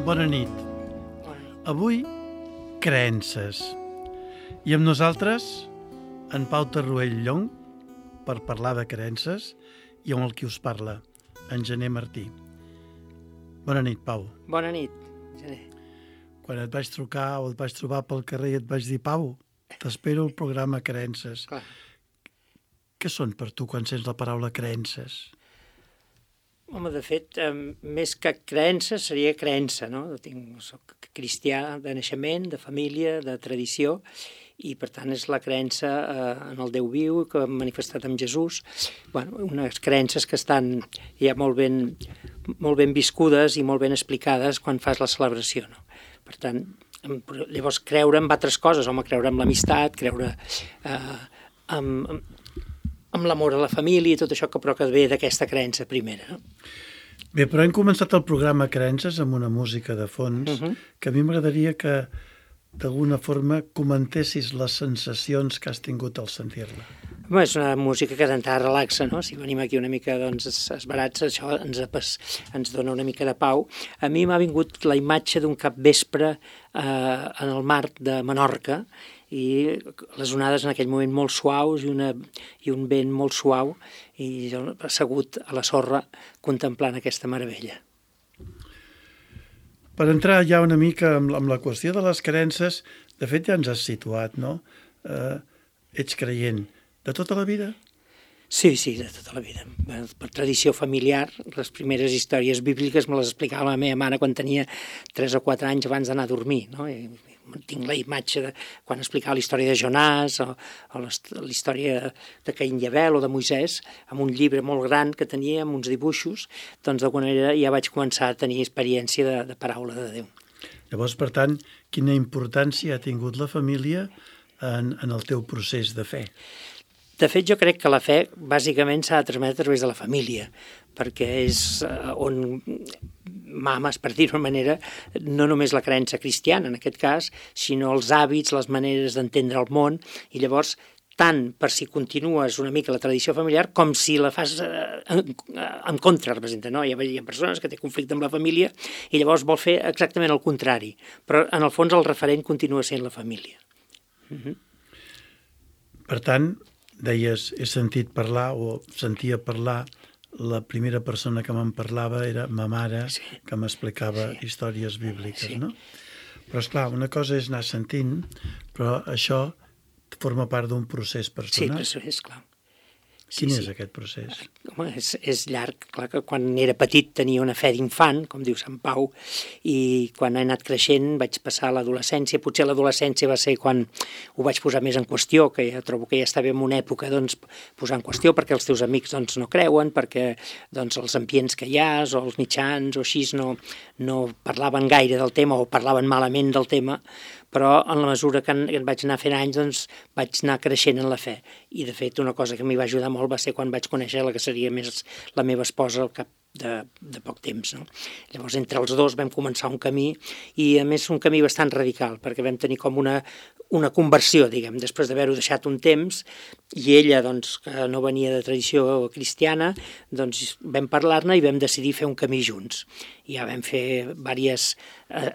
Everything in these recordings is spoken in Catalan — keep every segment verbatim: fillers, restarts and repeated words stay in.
Bona nit. Avui, creences. I amb nosaltres, en Pau Tarruell Llong, per parlar de creences, i amb el qui us parla, en Gener Martí. Bona nit, Pau. Bona nit, Gener. Quan et vaig trucar o et vaig trobar pel carrer i et vaig dir, Pau, t'espero el programa Creences. Clar. Què són per tu quan sents la paraula creences? Home, de fet, eh, més que creença seria creença, no? Tinc, soc cristià de naixement, de família, de tradició, i per tant és la creença eh, en el Déu viu que hem manifestat amb Jesús. Bueno, unes creences que estan ja molt ben, molt ben viscudes i molt ben explicades quan fas la celebració, no? Per tant, llavors creure en altres coses, home, creure en l'amistat, creure eh, en... amb l'amor a la família i tot això, que però que ve d'aquesta creença primera. No? Bé, però hem començat el programa Creences amb una música de fons, uh -huh. que a mi m'agradaria que d'alguna forma comentessis les sensacions que has tingut al sentir-la. Bé, és una música que d'entrada relaxa, no? Si venim aquí una mica doncs, esbarats, això ens, ens dona una mica de pau. A mi m'ha vingut la imatge d'un capvespre eh, en el mar de Menorca, i les onades en aquell moment molt suaus i, una, i un vent molt suau, i jo assegut a la sorra contemplant aquesta meravella. Per entrar ja una mica amb, amb la qüestió de les creences, de fet ja ens has situat, no? Eh, ets creient de tota la vida? Sí, sí, de tota la vida. Per tradició familiar, les primeres històries bíbliques me les explicava la meva mare quan tenia tres o quatre anys abans d'anar a dormir, no? I tinc la imatge de quan explicava la història de Jonàs o, o la història de Caín i Abel o de Moisès, amb un llibre molt gran que tenia, amb uns dibuixos, doncs d'alguna manera ja vaig començar a tenir experiència de, de paraula de Déu. Llavors, per tant, quina importància ha tingut la família en, en el teu procés de fe? De fet, jo crec que la fe bàsicament s'ha de transmetre a través de la família, perquè és on mames, per dir-ho d'una manera, no només la creença cristiana en aquest cas, sinó els hàbits, les maneres d'entendre el món, i llavors tant per si continues una mica la tradició familiar com si la fas en, en contra, representa, no? Hi ha, hi ha persones que té conflicte amb la família i llavors vol fer exactament el contrari, però en el fons el referent continua sent la família. Uh-huh. Per tant, deies, he sentit parlar o sentia parlar, la primera persona que me'n parlava era ma mare, sí. que m'explicava sí. històries bíbliques, sí. no? Però, esclar, una cosa és anar sentint, però això forma part d'un procés personal. Sí, és clar. Quin sí, és sí. aquest procés? Home, és, és llarg. Clar que quan era petit tenia una fe d'infant, com diu Sant Pau, i quan he anat creixent vaig passar a l'adolescència. Potser l'adolescència va ser quan ho vaig posar més en qüestió, que ja trobo que ja estava en una època doncs, posar en qüestió perquè els teus amics doncs, no creuen, perquè doncs, els ambients que hi ha, o els mitjans, o així, no, no parlaven gaire del tema o parlaven malament del tema, però en la mesura que en, que en vaig anar fent anys doncs, vaig anar creixent en la fe. I, de fet, una cosa que m'hi va ajudar molt va ser quan vaig conèixer la que seria més la meva esposa al cap de, de poc temps. No? Llavors, entre els dos vam començar un camí, i a més un camí bastant radical, perquè vam tenir com una, una conversió, diguem, després d'haver-ho deixat un temps, i ella, doncs, que no venia de tradició cristiana, doncs vam parlar-ne i vam decidir fer un camí junts. I ja vam fer diverses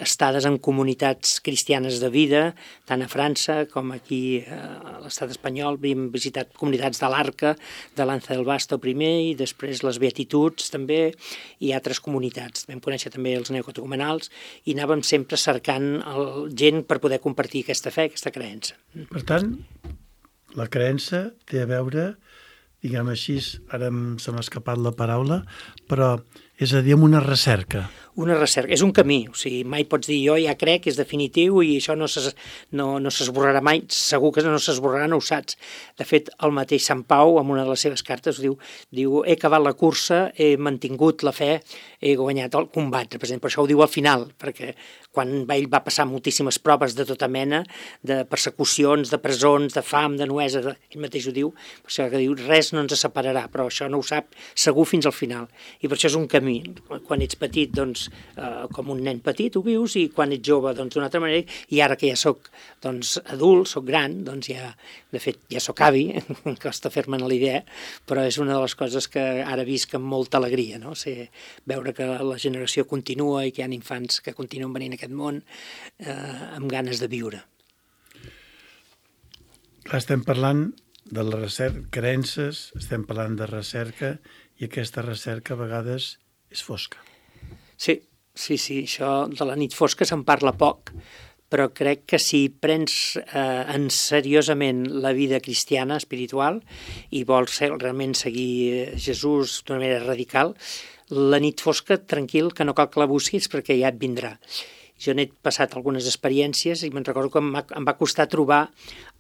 estades en comunitats cristianes de vida, tant a França com aquí a l'estat espanyol. Hem visitat comunitats de l'Arca, de l'Anza del Basto primer, i després les Beatituds també, i altres comunitats. Vam conèixer també els neocatecumenals i anàvem sempre cercant el, gent per poder compartir aquesta fe, aquesta creença. Per tant, la creença té a veure, diguem així, ara se m'ha escapat la paraula, però és a dir, amb una recerca. Una recerca, és un camí, o sigui, mai pots dir jo ja crec, és definitiu i això no s'esborrarà no, no mai, segur que no s'esborrarà, no ho saps. De fet, el mateix Sant Pau, en una de les seves cartes, diu, diu he acabat la cursa, he mantingut la fe, he guanyat el combat, per exemple, això ho diu al final, perquè quan ell va passar moltíssimes proves de tota mena, de persecucions, de presons, de fam, de nuesa, de... ell mateix ho diu, per això que diu, res no ens separarà, però això no ho sap segur fins al final, i per això és un camí. canvi. Quan ets petit, doncs, eh, com un nen petit ho vius, i quan ets jove, doncs, d'una altra manera, i ara que ja sóc, doncs, adult, sóc gran, doncs ja, de fet, ja sóc avi, em costa fer-me'n la idea, però és una de les coses que ara visc amb molta alegria, no? Ser, veure que la generació continua i que hi ha infants que continuen venint a aquest món eh, amb ganes de viure. Estem parlant de la recerca, creences, estem parlant de recerca, i aquesta recerca a vegades és fosca. Sí, sí, sí, això de la nit fosca se'n parla poc, però crec que si prens eh, en seriosament la vida cristiana, espiritual, i vols realment seguir Jesús d'una manera radical, la nit fosca, tranquil, que no cal que la busquis perquè ja et vindrà. Jo n'he passat algunes experiències i me'n recordo que em va, em va costar trobar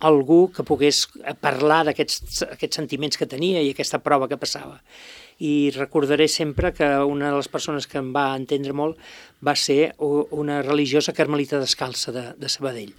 algú que pogués parlar d'aquests aquests sentiments que tenia i aquesta prova que passava. I recordaré sempre que una de les persones que em va entendre molt va ser una religiosa carmelita descalça de, de Sabadell.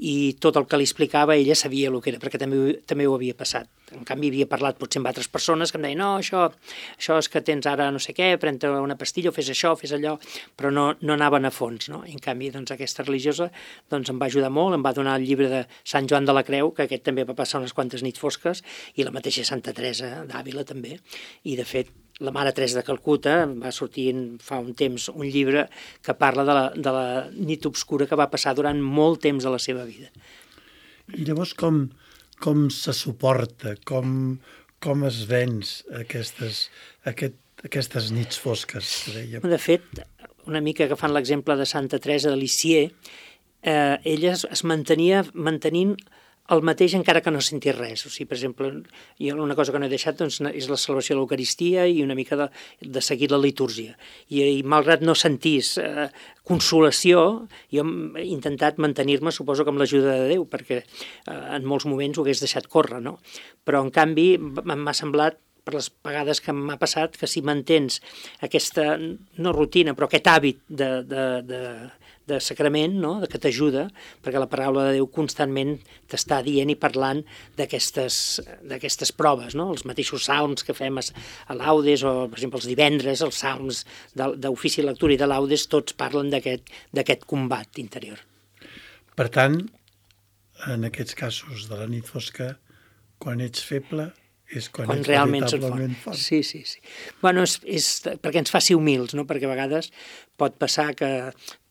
I tot el que li explicava ella sabia el que era, perquè també, també ho havia passat. En canvi, havia parlat potser amb altres persones que em deien no, això, això és que tens ara no sé què, pren-te una pastilla o fes això, fes allò, però no, no anaven a fons, no? I en canvi, doncs, aquesta religiosa doncs, em va ajudar molt, em va donar el llibre de Sant Joan de la Creu, que aquest també va passar unes quantes nits fosques, i la mateixa Santa Teresa d'Àvila també, i de fet, la Mare Teresa de Calcuta va sortir fa un temps un llibre que parla de la, de la nit obscura que va passar durant molt temps de la seva vida. I llavors com, com se suporta, com, com es venç aquestes, aquest, aquestes nits fosques, que dèiem? De fet, una mica agafant l'exemple de Santa Teresa de Lisieux, eh, ella es, es mantenia mantenint el mateix encara que no sentís res. O sigui, per exemple, jo una cosa que no he deixat doncs, és la celebració de l'Eucaristia i una mica de, de seguir la litúrgia. I, i malgrat no sentís eh, consolació, jo he intentat mantenir-me, suposo que amb l'ajuda de Déu, perquè eh, en molts moments ho hagués deixat córrer, no? Però, en canvi, m'ha semblat, per les vegades que m'ha passat, que si mantens aquesta, no rutina, però aquest hàbit de, de, de, de sacrament, no? De que t'ajuda, perquè la paraula de Déu constantment t'està dient i parlant d'aquestes d'aquestes proves, no? Els mateixos salms que fem a laudes, o per exemple els divendres, els salms d'ofici, lectura i de laudes, tots parlen d'aquest d'aquest combat interior. Per tant, en aquests casos de la nit fosca, quan ets feble, és quan, quan ets realment veritablement fort. Sí, sí, sí. Bueno, és, és perquè ens faci humils, no? Perquè a vegades pot passar que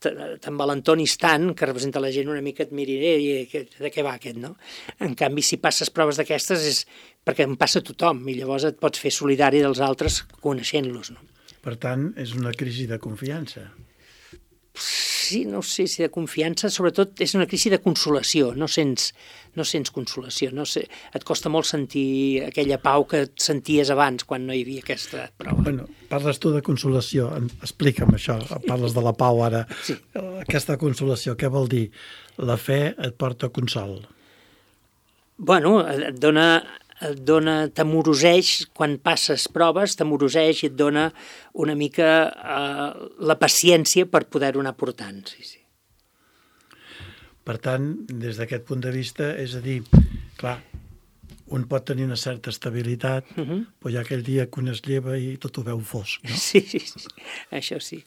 t'envalentonis tant que representa la gent una mica et miri i de què va aquest, no? En canvi, si passes proves d'aquestes és perquè en passa a tothom i llavors et pots fer solidari dels altres coneixent-los, no? Per tant, és una crisi de confiança. Sí, no sé si de confiança, sobretot és una crisi de consolació, no sents, no sents consolació, no sé, et costa molt sentir aquella pau que et senties abans quan no hi havia aquesta prova. Bueno, parles tu de consolació, explica'm això, parles de la pau ara. Sí. Aquesta consolació, què vol dir? La fe et porta consol. Bueno, et dona... et dona, t'amoroseix, quan passes proves, t'amoroseix i et dona una mica eh, la paciència per poder-ho anar portant. Sí, sí. Per tant, des d'aquest punt de vista, és a dir, clar, un pot tenir una certa estabilitat, uh -huh. però hi ha aquell dia que un es lleva i tot ho veu fosc, no? Sí, sí, sí, això sí.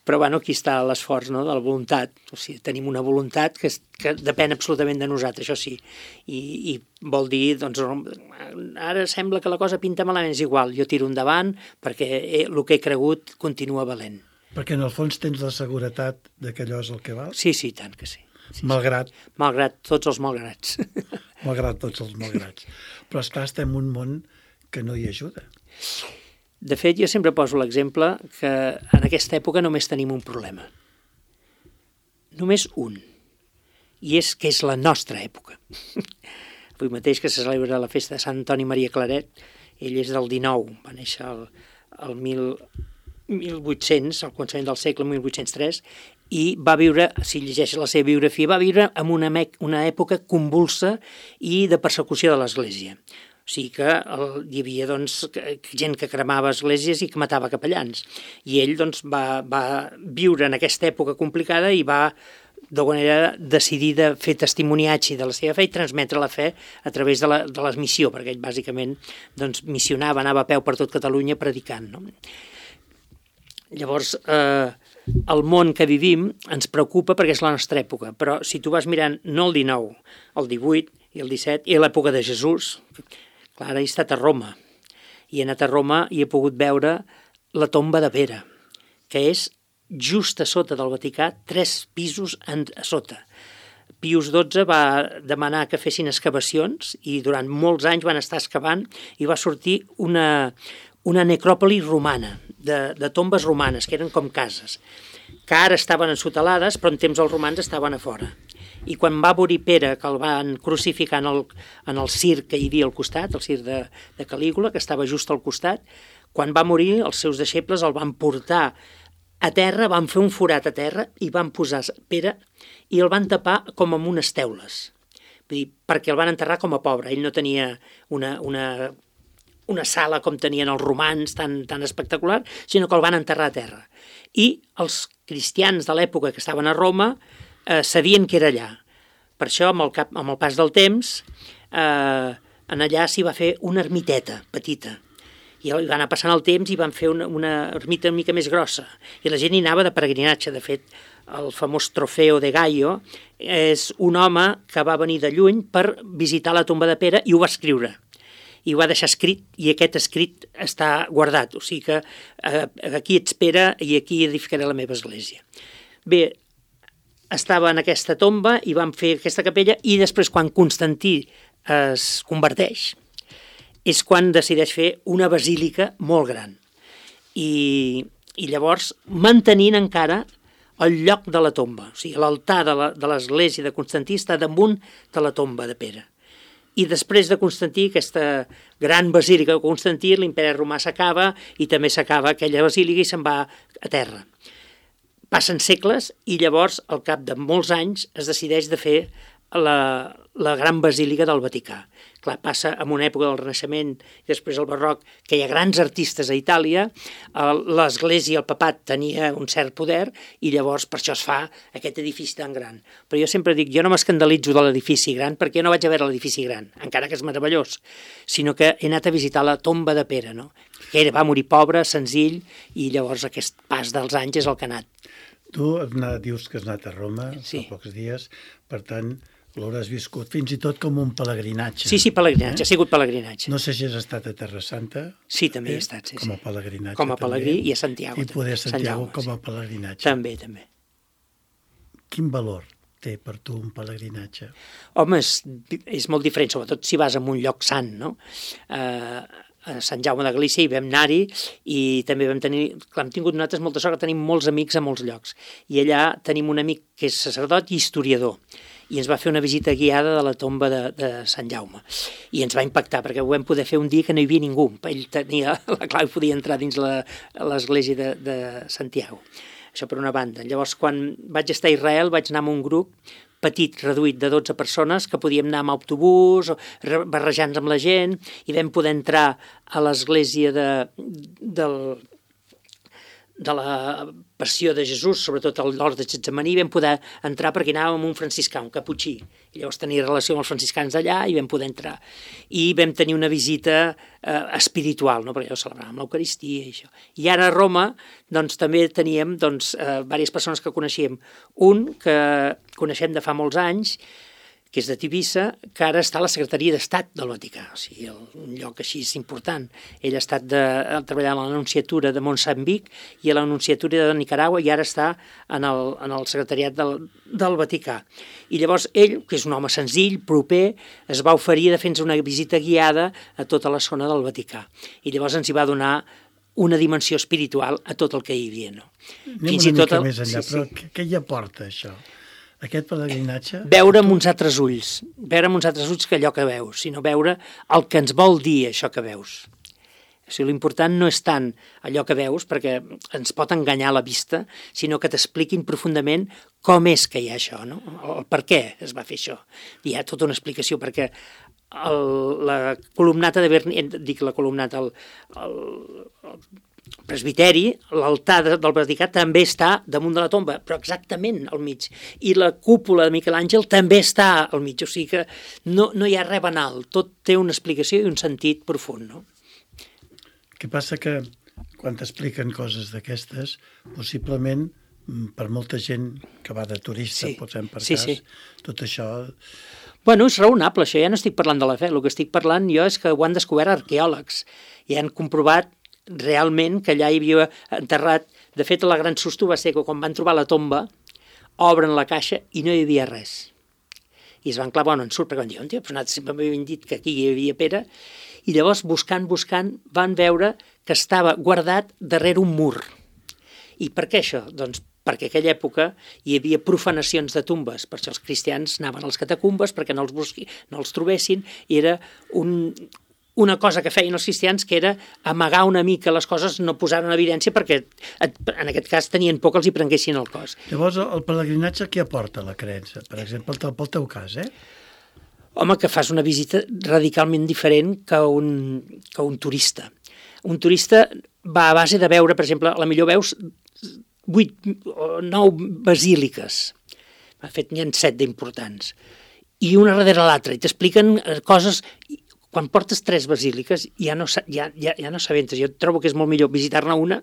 Però, bueno, aquí està l'esforç, no?, de la voluntat. O sigui, tenim una voluntat que, que depèn absolutament de nosaltres, això sí. I, i vol dir, doncs, ara sembla que la cosa pinta malament, és igual, jo tiro endavant perquè he, el que he cregut continua valent. Perquè en el fons tens la seguretat de que allò és el que val? Sí, sí, tant que sí. sí malgrat... Sí. Malgrat tots els malgrats. Malgrat tots els malgrats. Però, esclar, estem en un món que no hi ajuda. De fet, jo sempre poso l'exemple que en aquesta època només tenim un problema. Només un. I és que és la nostra època. Avui mateix que se celebra la festa de Sant Antoni Maria Claret, ell és del dinou, va néixer el, el mil, mil vuit-cents, al començament del segle, mil vuit-cents tres, i va viure, si llegeixes la seva biografia, va viure en una, una època convulsa i de persecució de l'Església. O sigui que el, hi havia doncs, gent que cremava esglésies i que matava capellans. I ell doncs, va, va viure en aquesta època complicada i va, d'alguna manera, decidir de fer testimoniatge de la seva fe i transmetre la fe a través de la, de la missió, perquè ell bàsicament doncs, missionava, anava a peu per tot Catalunya predicant. No? Llavors, eh, el món que vivim ens preocupa perquè és la nostra època, però si tu vas mirant no el dinou, el divuit i el disset, i l'època de Jesús, clar, he estat a Roma, i he anat a Roma i he pogut veure la tomba de Pere, que és just a sota del Vaticà, tres pisos en, a sota. Pius dotze va demanar que fessin excavacions i durant molts anys van estar excavant i va sortir una, una necròpoli romana, de, de tombes romanes, que eren com cases, que ara estaven ensotelades, però en temps els romans estaven a fora. I quan va morir Pere, que el van crucificar en el, en el circ que hi havia al costat, el circ de, de Calígula, que estava just al costat, quan va morir els seus deixebles el van portar a terra, van fer un forat a terra i van posar Pere i el van tapar com amb unes teules. Vull dir, perquè el van enterrar com a pobre. Ell no tenia una, una, una sala com tenien els romans tan, tan espectacular, sinó que el van enterrar a terra. I els cristians de l'època que estaven a Roma eh, sabien que era allà. Per això, amb el, cap, amb el pas del temps, eh, en allà s'hi va fer una ermiteta petita. I va anar passant el temps i van fer una, una ermita una mica més grossa. I la gent hi anava de peregrinatge. De fet, el famós Trofeo de Gaio és un home que va venir de lluny per visitar la tomba de Pere i ho va escriure. I ho va deixar escrit, i aquest escrit està guardat. O sigui que eh, aquí ets Pere i aquí edificaré la meva església. Bé, estava en aquesta tomba i van fer aquesta capella i després quan Constantí es converteix és quan decideix fer una basílica molt gran. I, i llavors mantenint encara el lloc de la tomba. O sigui, l'altar de l'església de Constantí està damunt de la tomba de Pere. I després de Constantí, aquesta gran basílica de Constantí, l'imperi romà s'acaba i també s'acaba aquella basílica i se'n va a terra. Passen segles i llavors, al cap de molts anys, es decideix de fer la, la gran basílica del Vaticà. Clar, passa en una època del Renaixement i després el Barroc, que hi ha grans artistes a Itàlia, l'Església, el papat, tenia un cert poder i llavors per això es fa aquest edifici tan gran. Però jo sempre dic, jo no m'escandalitzo de l'edifici gran perquè jo no vaig a veure l'edifici gran, encara que és meravellós, sinó que he anat a visitar la tomba de Pere, no? Que era, va morir pobre, senzill, i llavors aquest pas dels anys és el que ha anat. Tu has anat, dius que has anat a Roma sí. fa pocs dies, per tant, l'hauràs viscut fins i tot com un pelegrinatge. Sí, sí, pelegrinatge, eh? Ha sigut pelegrinatge. No sé si has estat a Terra Santa. Sí, també he estat, sí. Com a pelegrinatge. Com a pelegrí també. I a Santiago. I poder a Santiago Sant Jaume, com a sí. pelegrinatge. També, també. Quin valor té per tu un pelegrinatge? Home, és, és molt diferent, sobretot si vas a un lloc sant, no? Eh, a Sant Jaume de Galícia hi vam anar-hi i també vam tenir, clar, hem tingut nosaltres molta sort que tenim molts amics a molts llocs. I allà tenim un amic que és sacerdot i historiador. I ens va fer una visita guiada de la tomba de, de Sant Jaume. I ens va impactar, perquè ho vam poder fer un dia que no hi havia ningú. Ell tenia la clau i podia entrar dins l'església de, de Santiago. Això per una banda. Llavors, quan vaig estar a Israel, vaig anar amb un grup petit, reduït de dotze persones, que podíem anar amb autobús, barrejant-nos amb la gent, i vam poder entrar a l'església de, del... de la passió de Jesús, sobretot a l'hort de Getsemaní, vam poder entrar perquè anàvem amb un franciscà, un caputxí. I llavors tenia relació amb els franciscans d'allà i vam poder entrar. I vam tenir una visita eh, espiritual, no? Perquè ja ho celebràvem, l'Eucaristia i això. I ara a Roma doncs, també teníem doncs, eh, diverses persones que coneixíem. Un que coneixem de fa molts anys, que és de Tivissa, que ara està a la Secretaria d'Estat del Vaticà, o sigui, un lloc així és important. Ell ha estat de, treballant a l'Anunciatura de Moçambic i a l'Anunciatura de Nicaragua i ara està en el, en el Secretariat del, del Vaticà. I llavors ell, que és un home senzill, proper, es va oferir de fer-nos una visita guiada a tota la zona del Vaticà. I llavors ens hi va donar una dimensió espiritual a tot el que hi havia. No? Anem Fins una mica el... més enllà, sí, però sí. Què hi aporta això? Aquest pelegrinatge... Veure amb uns altres ulls, veure amb uns altres ulls que allò que veus, sinó veure el que ens vol dir això que veus. O sigui, l'important no és tant allò que veus, perquè ens pot enganyar la vista, sinó que t'expliquin profundament com és que hi ha això, no? El per què es va fer això. Hi ha tota una explicació, perquè el, la columnata de Berni, dic la columnata, el, el, el presbiteri, l'altar del Vaticà també està damunt de la tomba, però exactament al mig. I la cúpula de Miquel Àngel també està al mig, o sigui que no, no hi ha res banal, tot té una explicació i un sentit profund, no? El que passa que quan t'expliquen coses d'aquestes, possiblement per molta gent que va de turista, Sí. posem per Sí, cas, sí. tot això... Bueno, és raonable, això. Ja no estic parlant de la fe. El que estic parlant jo és que ho han descobert arqueòlegs i han comprovat realment que allà hi havia enterrat... De fet, la gran susto va ser que quan van trobar la tomba, obren la caixa i no hi havia res. I es van clavar on en surt, perquè van dir, on tio, però nosaltres sempre m'havien dit que aquí hi havia Pere. I llavors, buscant, buscant, van veure que estava guardat darrere un mur. I per què això? Doncs perquè en aquella època hi havia profanacions de tumbes, per això els cristians anaven als catacumbes perquè no els, busqui, no els trobessin, i era un, una cosa que feien els cristians que era amagar una mica les coses, no posar en evidència perquè en aquest cas tenien por que els hi prenguessin el cos. Llavors, el pelegrinatge què aporta la creença? Per exemple, pel teu cas, eh? Home, que fas una visita radicalment diferent que un, que un turista. Un turista va a base de veure, per exemple, a la millor veus vuit o nou basíliques. De fet, n'hi ha set d'importants. I una darrere l'altra. I t'expliquen coses... Quan portes tres basíliques ja no, ja, ja, ja no s'aventes. Jo trobo que és molt millor visitar-ne una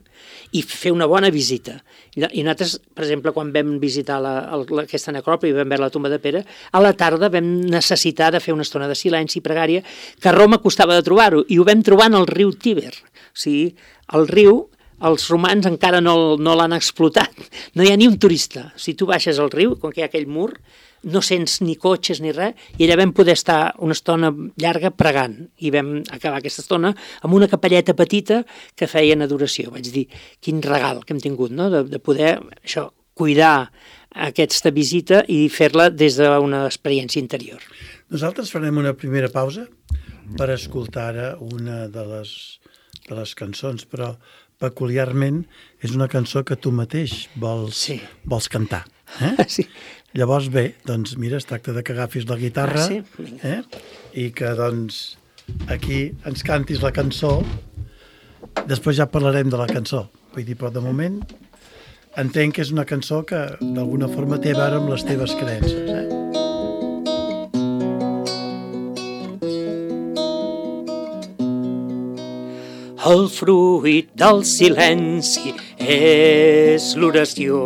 i fer una bona visita. I nosaltres, per exemple, quan vam visitar la, la, aquesta necròpoli i vam veure la tomba de Pere, a la tarda vam necessitar de fer una estona de silenci i pregària que a Roma costava de trobar-ho, i ho vam trobar en el riu Tíber. O sigui, el riu, els romans encara no, no l'han explotat. No hi ha ni un turista. Si tu baixes al riu, quan hi ha aquell mur, no sents ni cotxes ni res, i allà vam poder estar una estona llarga pregant, i vam acabar aquesta estona amb una capelleta petita que feien adoració. Vaig dir, quin regal que hem tingut, no?, de, de poder això, cuidar aquesta visita i fer-la des d'una experiència interior. Nosaltres farem una primera pausa per escoltar ara una de les, de les cançons, però peculiarment és una cançó que tu mateix vols, sí. vols cantar. Eh? Sí. Llavors, bé, doncs mira, es tracta de que agafis la guitarra ah, sí? eh? i que doncs aquí ens cantis la cançó. Després ja parlarem de la cançó. Vull dir, però de moment entenc que és una cançó que d'alguna forma té a veure amb les teves creences. Eh? El fruit del silenci és l'oració.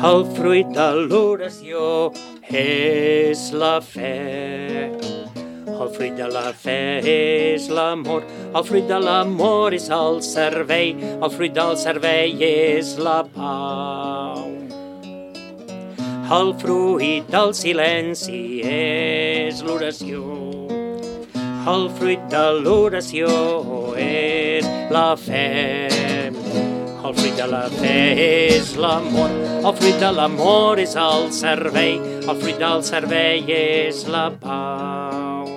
El fruit de l'oració és la fe. El fruit de la fe és l'amor. El fruit de l'amor és el servei. El fruit del servei és la pau. El fruit del silenci és l'oració. El fruit de l'oració és la fe. El fruit de la fe és l'amor, el fruit de l'amor és el servei, el fruit del servei és la pau.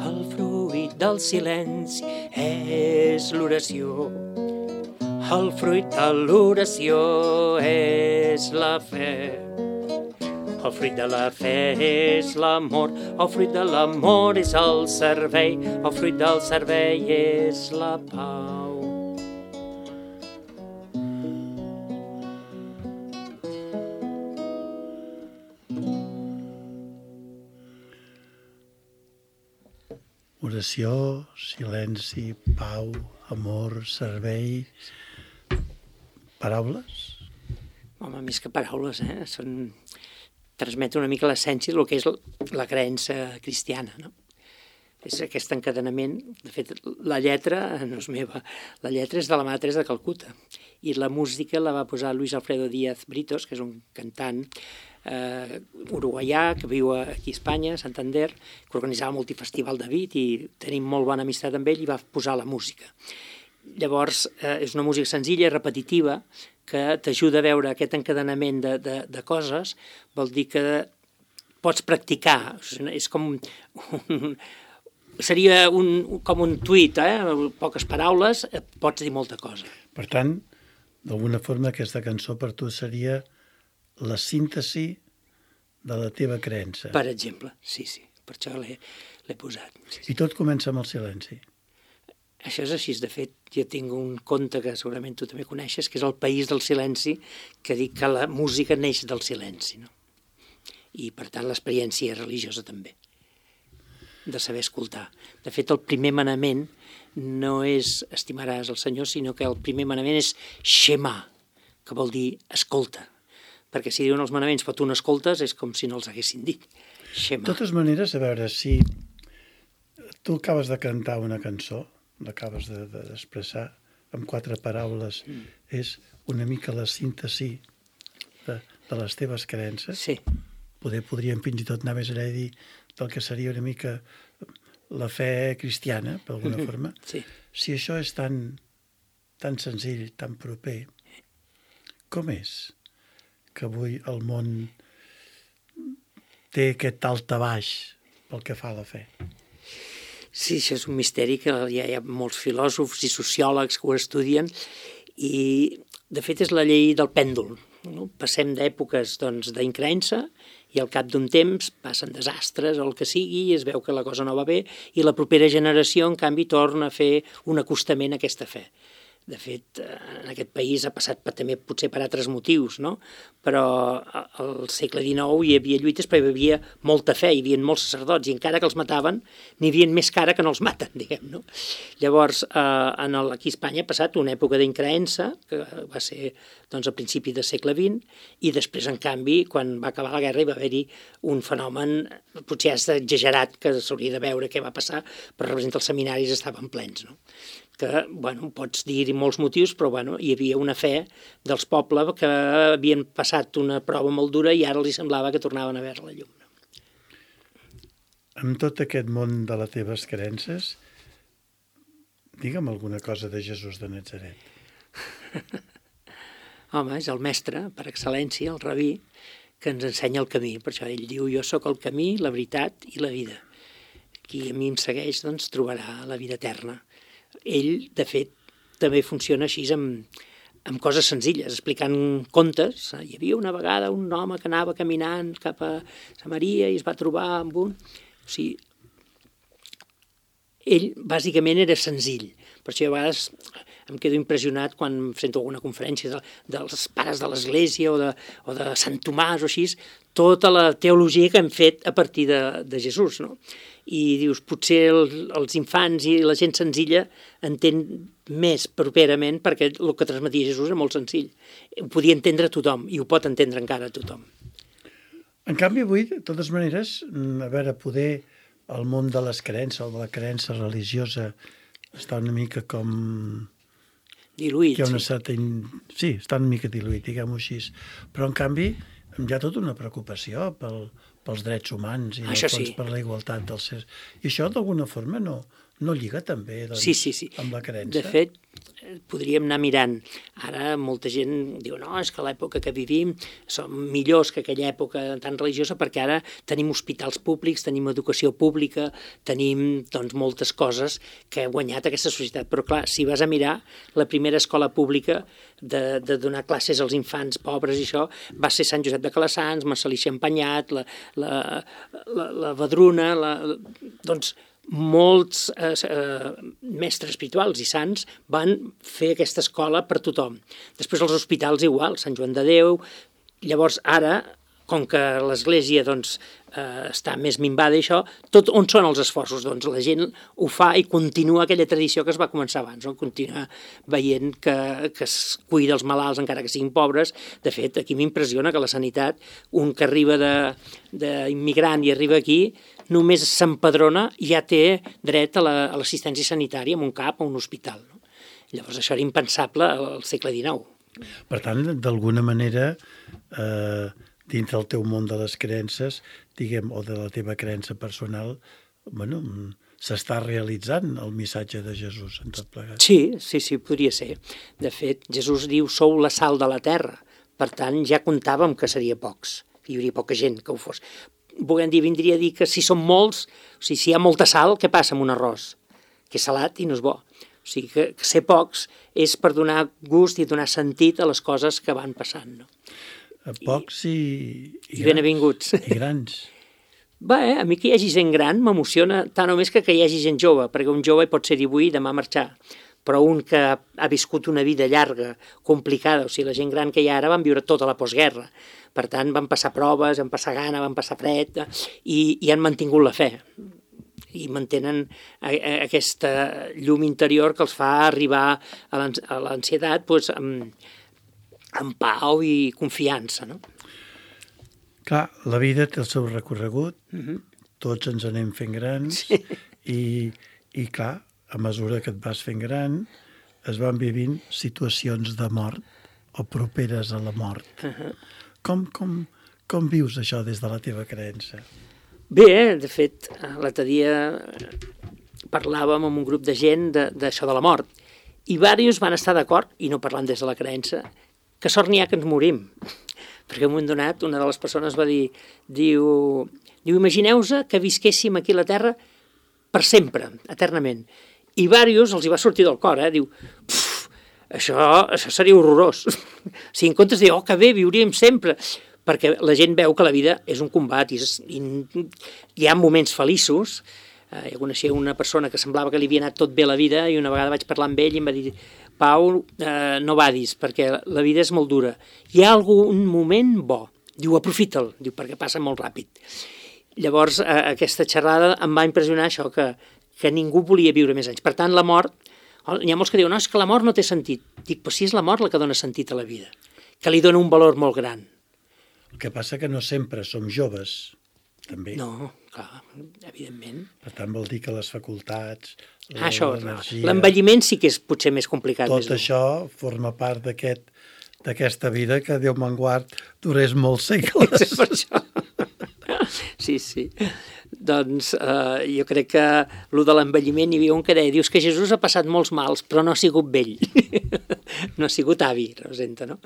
El fruit del silenci és l'oració, el fruit de l'oració és la fe. El fruit de la fe és l'amor, el fruit de l'amor és el servei, el fruit del servei és la pau. Oració, silenci, pau, amor, servei... Paraules? Home, més que paraules, eh? Són... transmet una mica l'essència del que és la creença cristiana, no? És aquest encadenament. De fet, la lletra no és meva, la lletra és de la Mare Teresa de Calcuta, i la música la va posar Luis Alfredo Díaz Britos, que és un cantant eh, uruguaià que viu aquí a Espanya, a Santander, que organitzava multifestival de beat i tenim molt bona amistat amb ell, i va posar la música. Llavors, eh, és una música senzilla i repetitiva que t'ajuda a veure aquest encadenament de, de, de coses. Vol dir que pots practicar. És com un, seria un, com un tuit, eh? Poques paraules, pots dir molta cosa. Per tant, d'alguna forma aquesta cançó per tu seria la síntesi de la teva creença. Per exemple, sí, sí. Per això l'he, l'he posat. Sí, sí. I tot comença amb el silenci. Això és així, de fet, jo tinc un conte que segurament tu també coneixes, que és El país del silenci, que dic que la música neix del silenci, no? i per tant l'experiència religiosa també, de saber escoltar. De fet, el primer manament no és estimaràs el Senyor, sinó que el primer manament és Shema, que vol dir escolta, perquè si diuen els manaments però tu no escoltes és com si no els haguessin dit. Shema. De totes maneres, a veure, si tu acabes de cantar una cançó, l'acabes de, de, d'expressar amb quatre paraules, mm. és una mica la síntesi de, de les teves creences. Sí. Poder, podríem fins i tot anar més enllà i dir del que seria una mica la fe cristiana, per alguna mm-hmm. forma. Sí. Si això és tan, tan senzill, tan proper, com és que avui el món té aquest altabaix pel que fa a la fe? Sí, això és un misteri que ja hi ha molts filòsofs i sociòlegs que ho estudien i, de fet, és la llei del pèndol. No? Passem d'èpoques doncs, d'increença i al cap d'un temps passen desastres o el que sigui i es veu que la cosa no va bé i la propera generació, en canvi, torna a fer un acostament a aquesta fe. De fet, en aquest país ha passat per, també potser per altres motius, no? Però al segle dinou hi havia lluites perquè hi havia molta fe, hi havia molts sacerdots i encara que els mataven n'hi havia més cara que no els maten, diguem, no? Llavors, eh, en el, aquí a Espanya ha passat una època d'increença, que va ser doncs, a principi del segle vint, i després, en canvi, quan va acabar la guerra hi va haver-hi un fenomen, potser és exagerat, que s'hauria de veure què va passar, però representa els seminaris estaven plens, no? Que, bueno, pots dir-hi molts motius, però, bueno, hi havia una fe dels pobles que havien passat una prova molt dura i ara els semblava que tornaven a veure la llum. Amb tot aquest món de les teves creences, digue'm alguna cosa de Jesús de Natzaret. Home, és el mestre, per excel·lència, el rabí, que ens ensenya el camí. Per això ell diu, jo sóc el camí, la veritat i la vida. Qui a mi em segueix, doncs, trobarà la vida eterna. Ell, de fet, també funciona així amb, amb coses senzilles, explicant contes. Hi havia una vegada un home que anava caminant cap a Samaria i es va trobar amb un... O sigui, ell bàsicament era senzill. Per això a vegades em quedo impressionat quan sento alguna conferència de, dels pares de l'Església o de, o de Sant Tomàs o així, tota la teologia que hem fet a partir de, de Jesús, no? I dius, potser el, els infants i la gent senzilla entén més properament perquè el que transmetia Jesús era molt senzill. Ho podia entendre tothom i ho pot entendre encara tothom. En canvi, avui, de totes maneres, a veure, poder el món de les creences o de la creença religiosa està una mica com... Diluït, hi ha una sí. certa... Sí, està una mica diluït, diguem-ho així. Però, en canvi, hi ha tota una preocupació pel, pels drets humans i això fons sí. per la igualtat dels sers. I això, d'alguna forma, no, no lliga també doncs, sí, sí, sí. amb la creença? De fet, podríem anar mirant. Ara molta gent diu, no, és que l'època que vivim som millors que aquella època tan religiosa perquè ara tenim hospitals públics, tenim educació pública, tenim doncs, moltes coses que ha guanyat aquesta societat. Però clar, si vas a mirar, la primera escola pública de, de donar classes als infants pobres i això va ser Sant Josep de Calassanç, Marcel·lí Champagnat, la, la, la, la Vedruna, la, doncs molts eh, eh, mestres espirituals i sants van fer aquesta escola per tothom. Després els hospitals igual, Sant Joan de Déu. Llavors ara, com que l'Església doncs, eh, està més minvada i això, tot on són els esforços? Doncs la gent ho fa i continua aquella tradició que es va començar abans, no? Continua veient que, que es cuida els malalts encara que siguin pobres. De fet, aquí m'impressiona que la sanitat, un que arriba d'immigrant i arriba aquí, només s'empadrona i ja té dret a l'assistència sanitària en un cap o un hospital. No? Llavors això era impensable al segle dinou. Per tant, d'alguna manera, eh, dins del teu món de les creences, diguem, o de la teva creença personal, bueno, s'està realitzant el missatge de Jesús en tot plegat. Sí, sí, sí, podria ser. De fet, Jesús diu, sou la sal de la terra. Per tant, ja comptàvem que seria pocs. Hi hauria poca gent que ho fos. Volem dir, vindria a dir que si són molts, o sigui, si hi ha molta sal, què passa amb un arròs? Que és salat i no és bo. O sigui, que, que ser pocs és per donar gust i donar sentit a les coses que van passant, no? Pocs i, i, i benevinguts. I grans. Bé, eh? A mi que hi hagi gent gran m'emociona tant o més que que hi hagi gent jove, perquè un jove pot ser-hi avui i demà marxar. però un que ha viscut una vida llarga, complicada, o sigui, la gent gran que hi ha ara van viure tota la postguerra, per tant van passar proves, van passar gana, van passar fred, i, i han mantingut la fe, i mantenen aquesta llum interior que els fa arribar a l'ansietat doncs, amb, amb pau i confiança, no? Clar, la vida té el seu recorregut, Uh-huh. tots ens anem fent grans, Sí. i, i clar, a mesura que et vas fent gran, es van vivint situacions de mort o properes a la mort. Uh-huh. Com, com, com vius això des de la teva creença? Bé, de fet, l'altre dia parlàvem amb un grup de gent d'això de, de la mort, i diversos van estar d'acord, i no parlant des de la creença, que sort n'hi ha que ens morim. Perquè en un moment donat una de les persones va dir, diu, diu imagineu-vos que visquéssim aquí a la Terra per sempre, eternament. I diversos els hi va sortir del cor, eh? Diu, això, això seria horrorós. O sigui, en comptes de dir, oh, que bé, viuríem sempre, perquè la gent veu que la vida és un combat i, i hi ha moments feliços. Eh, jo coneixia una persona que semblava que li havia anat tot bé la vida i una vegada vaig parlar amb ell i em va dir, Pau, eh, no vadis, perquè la vida és molt dura. Hi ha algun moment bo. Diu, aprofita'l, diu, perquè passa molt ràpid. Llavors, eh, aquesta xerrada em va impressionar això, que, que ningú volia viure més anys. Per tant, la mort, hi ha molts que diuen, no, és que la mort no té sentit. Dic, però sí és la mort la que dona sentit a la vida, que li dona un valor molt gran. El que passa que no sempre som joves, també. No, clar, evidentment. Per tant, vol dir que les facultats, Ah, això, l'energia... l'envelliment sí que és potser més complicat. Tot més això forma part d'aquest d'aquesta vida que, Déu me'n guard, durés molts segles. Per això. Sí, sí. Doncs eh, jo crec que el de l'envelliment hi havia un que deia, dius que Jesús ha passat molts mals, però no ha sigut vell. No ha sigut avi, representa, no?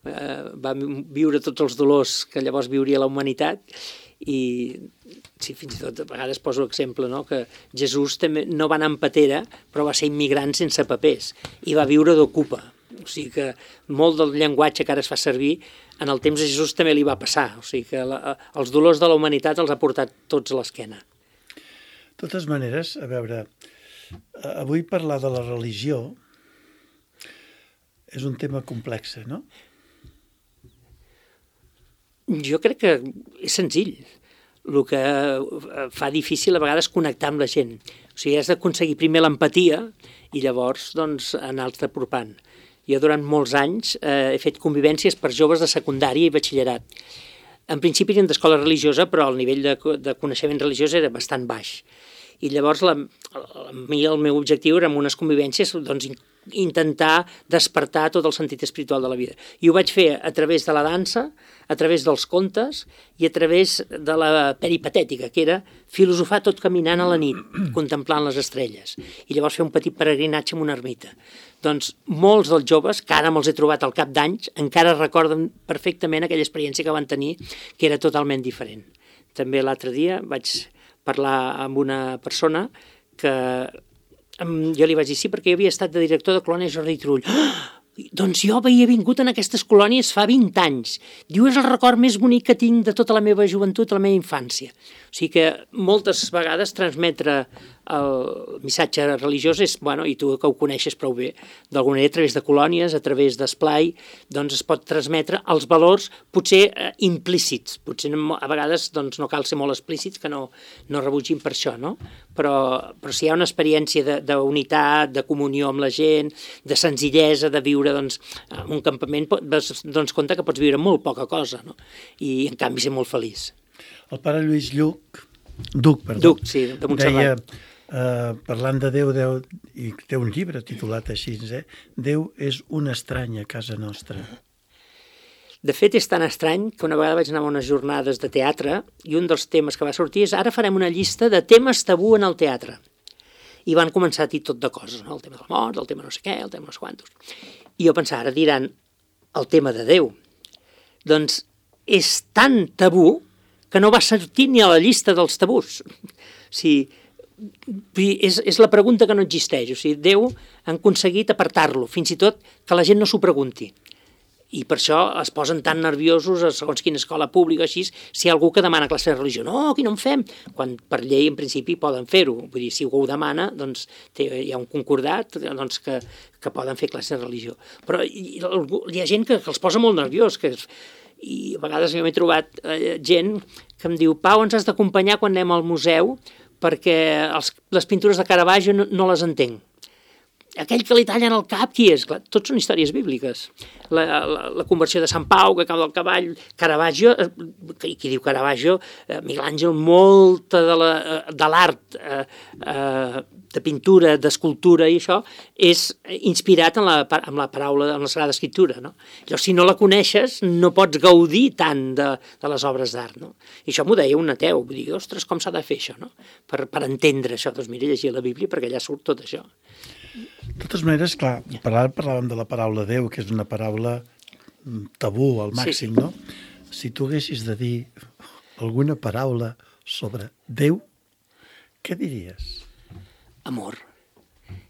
Eh, va viure tots els dolors que llavors viuria la humanitat i sí, fins i tot a vegades poso l'exemple, no? Que Jesús també no va anar en patera, però va ser immigrant sense papers i va viure d'ocupa. O sigui que molt del llenguatge que ara es fa servir en el temps de Jesús també li va passar. O sigui que la, els dolors de la humanitat els ha portat tots a l'esquena. De totes maneres, a veure, avui parlar de la religió és un tema complex, no? Jo crec que és senzill. El que fa difícil a vegades connectar amb la gent. O sigui, has d'aconseguir primer l'empatia i llavors doncs, anar-te apropant. Jo durant molts anys eh, he fet convivències per joves de secundària i batxillerat. En principi eren d'escola religiosa, però el nivell de, de coneixement religiós era bastant baix. I llavors la, a mi el meu objectiu era en unes convivències doncs, intentar despertar tot el sentit espiritual de la vida. I ho vaig fer a través de la dansa, a través dels contes i a través de la peripatètica, que era filosofar tot caminant a la nit, contemplant les estrelles. I llavors fer un petit peregrinatge en una ermita. Doncs molts dels joves, que ara me'ls he trobat al cap d'anys, encara recorden perfectament aquella experiència que van tenir, que era totalment diferent. També l'altre dia vaig parlar amb una persona que jo li vaig dir sí, perquè jo havia estat de director de colònia Jordi Turull. Ah! Doncs jo havia vingut en aquestes colònies fa vint anys. Diu, és el record més bonic que tinc de tota la meva joventut, la meva infància. O sigui que moltes vegades transmetre el missatge religiós és, bueno, i tu que ho coneixes prou bé, d'alguna manera a través de colònies, a través d'esplai, doncs es pot transmetre els valors potser eh, implícits. Potser a vegades doncs, no cal ser molt explícits, que no, no rebutgin per això, no? Però, però si hi ha una experiència d'unitat, de, de comunió amb la gent, de senzillesa, de viure doncs, en un campament, doncs compte que pots viure molt poca cosa, no? I en canvi ser molt feliç. El pare Lluís Lluc, Duc, perdó, Duc, sí, de Montserrat. deia, eh, parlant de Déu, Déu, i té un llibre titulat així, eh? Déu és un estrany a casa nostra. De fet, és tan estrany que una vegada vaig anar a unes jornades de teatre i un dels temes que va sortir és ara farem una llista de temes tabú en el teatre. I van començar a dir tot de coses, no? El tema de la mort, el tema no sé què, el tema no sé quantos. I jo pensava, ara diran el tema de Déu. Doncs és tan tabú que no va sortir ni a la llista dels tabús. O sigui, és, és la pregunta que no existeix. O sigui, Déu han aconseguit apartar-lo, fins i tot que la gent no s'ho pregunti. i per això es posen tan nerviosos a segons quina escola pública, així, si hi ha algú que demana classe de religió. No, aquí no en fem, quan per llei en principi poden fer-ho. Vull dir, si algú ho demana, doncs té, hi ha un concordat doncs, que, que poden fer classe de religió. Però hi, hi ha gent que, que els posa molt nerviós, que, i a vegades jo m'he trobat eh, gent que em diu: Pau, ens has d'acompanyar quan anem al museu perquè els, les pintures de Caravaggio no, no les entenc. Aquell que li tallen el cap, qui és? Clar, tots són històries bíbliques. La, la, la conversió de Sant Pau, que cau del cavall, Caravaggio, qui, qui diu Caravaggio, eh, Miguel Àngel, molta de l'art eh, eh, de pintura, d'escultura i això, és inspirat en la, en la paraula, en la Sagrada Escriptura, no? Llavors, si no la coneixes, no pots gaudir tant de, de les obres d'art, no? I això m'ho deia un ateu, vull dir, ostres, com s'ha de fer això, no? Per, per entendre això, doncs mira, llegir la Bíblia, perquè allà surt tot això. De totes maneres, clar, parlàvem de la paraula Déu, que és una paraula tabú al màxim, sí, sí. No? Si tu haguessis de dir alguna paraula sobre Déu, què diries? Amor.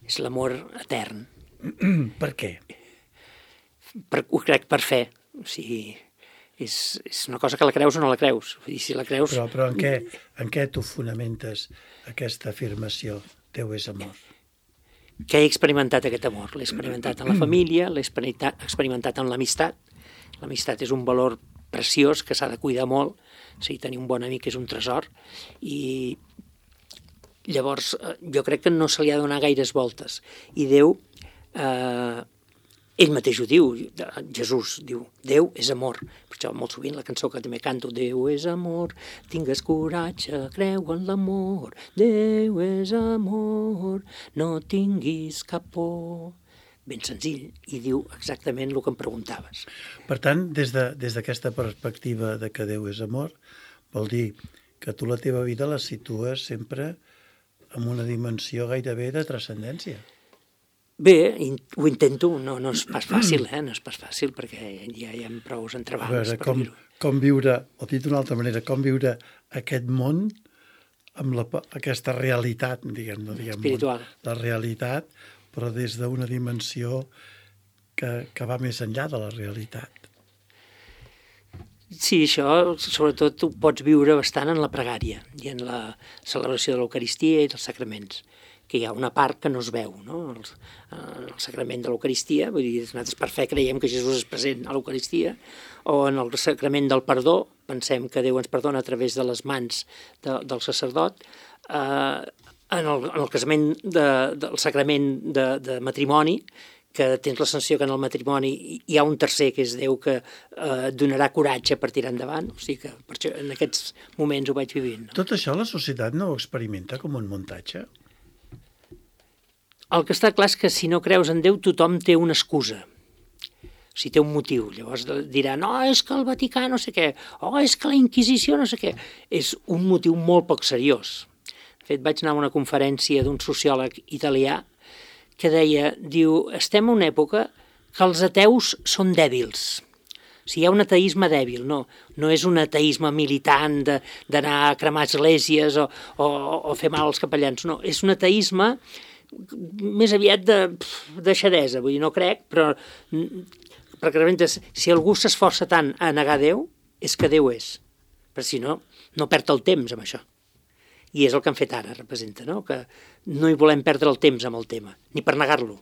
És l'amor etern. Per què? Per, ho crec per fe. O sigui, és, és una cosa que la creus o no la creus. Vull dir, si la creus... Però, però en, què, en què tu fonamentes aquesta afirmació? Déu és amor. Que he experimentat aquest amor. L'he experimentat en la família, l'he experimentat en l'amistat. L'amistat és un valor preciós que s'ha de cuidar molt. O sigui, tenir un bon amic és un tresor. I llavors jo crec que no se li ha de donar gaires voltes. I Déu, eh, ell mateix ho diu, Jesús diu, Déu és amor. Per això molt sovint la cançó que també canto, Déu és amor, tingues coratge, creu en l'amor, Déu és amor, no tinguis cap por. Ben senzill, i diu exactament el que em preguntaves. Per tant, des de, des d'aquesta perspectiva de que Déu és amor, vol dir que tu la teva vida la situes sempre en una dimensió gairebé de transcendència. Bé, ho intento, no, no és pas fàcil, eh? No és pas fàcil, perquè ja hi ha prou entrebancs per com, dir-ho. Com viure, o dit d'una altra manera, com viure aquest món amb la, aquesta realitat, diguem, no diguem espiritual. Món, la realitat, però des d'una dimensió que, que va més enllà de la realitat. Sí, això sobretot ho pots viure bastant en la pregària i en la celebració de l'Eucaristia i dels sacraments, que hi ha una part que no es veu, no? El, el sacrament de l'Eucaristia, vull dir, nosaltres per fe creiem que Jesús és present a l'Eucaristia, o en el sacrament del perdó, pensem que Déu ens perdona a través de les mans de, del sacerdot, eh, en, el, en el casament de, del sacrament de, de matrimoni, que tens la sensació que en el matrimoni hi ha un tercer, que és Déu, que eh, donarà coratge per tirar endavant. O sigui que per això, en aquests moments ho vaig vivint. No? Tot això la societat no ho experimenta com un muntatge? El que està clar és que si no creus en Déu, tothom té una excusa. O sigui, té un motiu. Llavors diran, no, és que el Vaticà no sé què, o oh, és que la Inquisició no sé què. És un motiu molt poc seriós. De fet, vaig anar a una conferència d'un sociòleg italià que deia, diu, estem en una època que els ateus són dèbils. O sigui, hi ha un ateisme dèbil, no, no és un ateisme militant d'anar a cremar esglésies o, o, o fer mal als capellans, no, és un ateisme més aviat de deixadesa, vull dir, no crec, però perquè realment si algú s'esforça tant a negar Déu, és que Déu és, perquè si no, no perd el temps amb això. I és el que han fet ara, representa, no? Que no hi volem perdre el temps amb el tema, ni per negar-lo.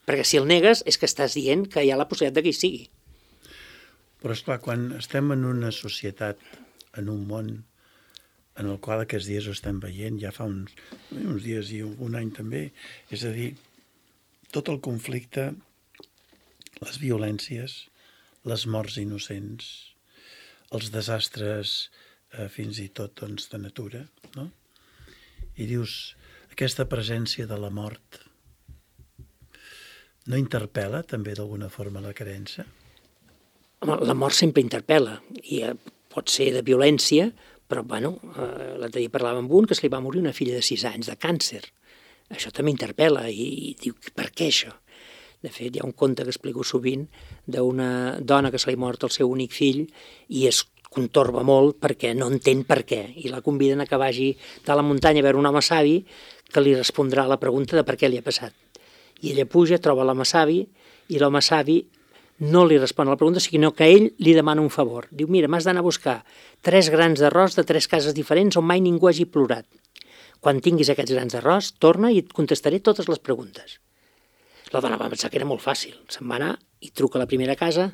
Perquè si el negues és que estàs dient que hi ha la possibilitat que hi sigui. Però esclar, quan estem en una societat, en un món en el qual aquests dies ho estem veient, ja fa uns, uns dies i un, un any també, és a dir, tot el conflicte, les violències, les morts innocents, els desastres eh, fins i tot doncs, de natura, no? I dius, aquesta presència de la mort no interpel·la també d'alguna forma la creença? La mort sempre interpel·la, i eh, pot ser de violència, però, bueno, eh, l'altre dia parlava amb un que se li va morir una filla de sis anys de càncer. Això també interpel·la i, i diu, per què això? De fet, hi ha un conte que explico sovint d'una dona que se li mort el seu únic fill i es contorba molt perquè no entén per què. I la conviden a que vagi de la muntanya a veure un home savi que li respondrà a la pregunta de per què li ha passat. I ella puja, troba l'home savi i l'home savi no li respon a la pregunta, sinó que ell li demana un favor. Diu, mira, m'has d'anar a buscar tres grans d'arròs de tres cases diferents on mai ningú hagi plorat. Quan tinguis aquests grans d'arròs, torna i et contestaré totes les preguntes. La dona va pensar que era molt fàcil. Se'n va anar i truca a la primera casa.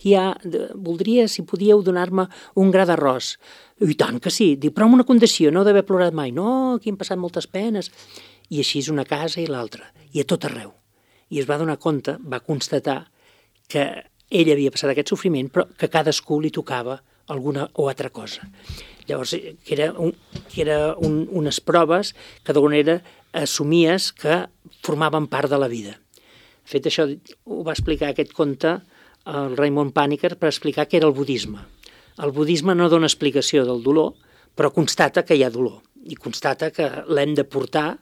Qui ha... Voldria, si podíeu, donar-me un gra d'arròs. I tant que sí. Diu, però amb una condició, no d'haver plorat mai. No, aquí hem passat moltes penes. I així és una casa i l'altra. I a tot arreu. I es va donar compte, va constatar que ell havia passat aquest sofriment, però que a cadascú li tocava alguna o altra cosa. Llavors, que era, un, que era un, unes proves que d'alguna manera assumies que formaven part de la vida. De fet, això ho va explicar aquest conte el Raymond Panikkar per explicar què era el budisme. El budisme no dona explicació del dolor, però constata que hi ha dolor i constata que l'hem de portar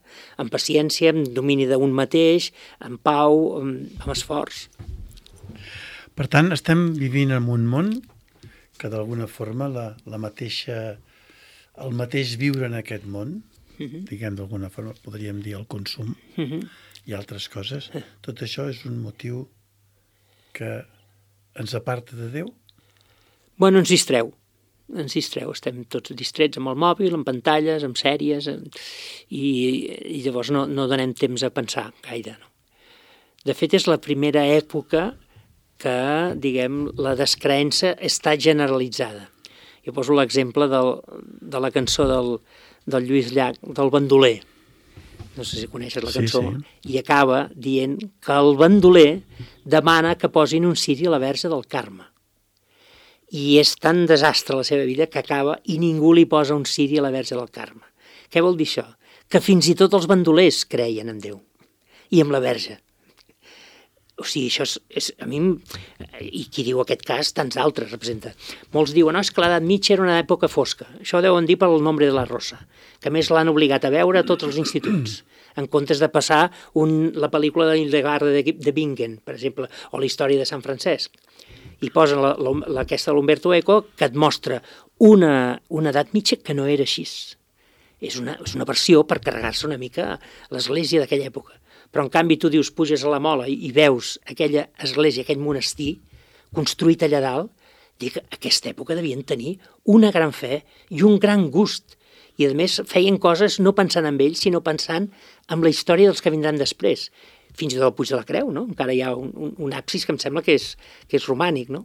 amb paciència, amb domini d'un mateix, amb pau, amb, amb esforç. Per tant, estem vivint en un món que d'alguna forma la, la mateixa, el mateix viure en aquest món, uh-huh. diguem d'alguna forma, podríem dir el consum uh-huh. i altres coses, tot això és un motiu que ens aparta de Déu? Bueno, ens distreu. Ens distreu, estem tots distrets amb el mòbil, amb pantalles, amb sèries, amb... I, i llavors no, no donem temps a pensar gaire. No? De fet, és la primera època que, diguem, la descreença està generalitzada. Jo poso l'exemple del, de la cançó del, del Lluís Llach, del bandoler. No sé si coneixes la cançó. Sí, sí. I acaba dient que el bandoler demana que posin un ciri a la Verge del Carme. I és tan desastre la seva vida que acaba i ningú li posa un ciri a la Verge del Carme. Què vol dir això? Que fins i tot els bandolers creien en Déu i en la Verge. O sigui, això és, és a mi, i qui diu aquest cas, tants altres representa. Molts diuen, no, és que l'edat mitja era una època fosca. Això deuen dir pel Nombre de la Rosa, que a més l'han obligat a veure a tots els instituts, en comptes de passar un, la pel·lícula de Hildegard de, de Bingen, per exemple, o la història de Sant Francesc. I posen la, la, la, aquesta de l'Umberto Eco, que et mostra una, una edat mitja que no era així. És una, és una versió per carregar-se una mica l'església d'aquella època. Però, en canvi, tu dius, puges a la Mola i, i veus aquella església, aquell monestir construït allà dalt, dic, aquesta època devien tenir una gran fe i un gran gust. I, a més, feien coses no pensant en ells, sinó pensant en la història dels que vindran després. Fins i tot el Puig de la Creu, no? Encara hi ha un, un, un absis que em sembla que és, que és romànic, no?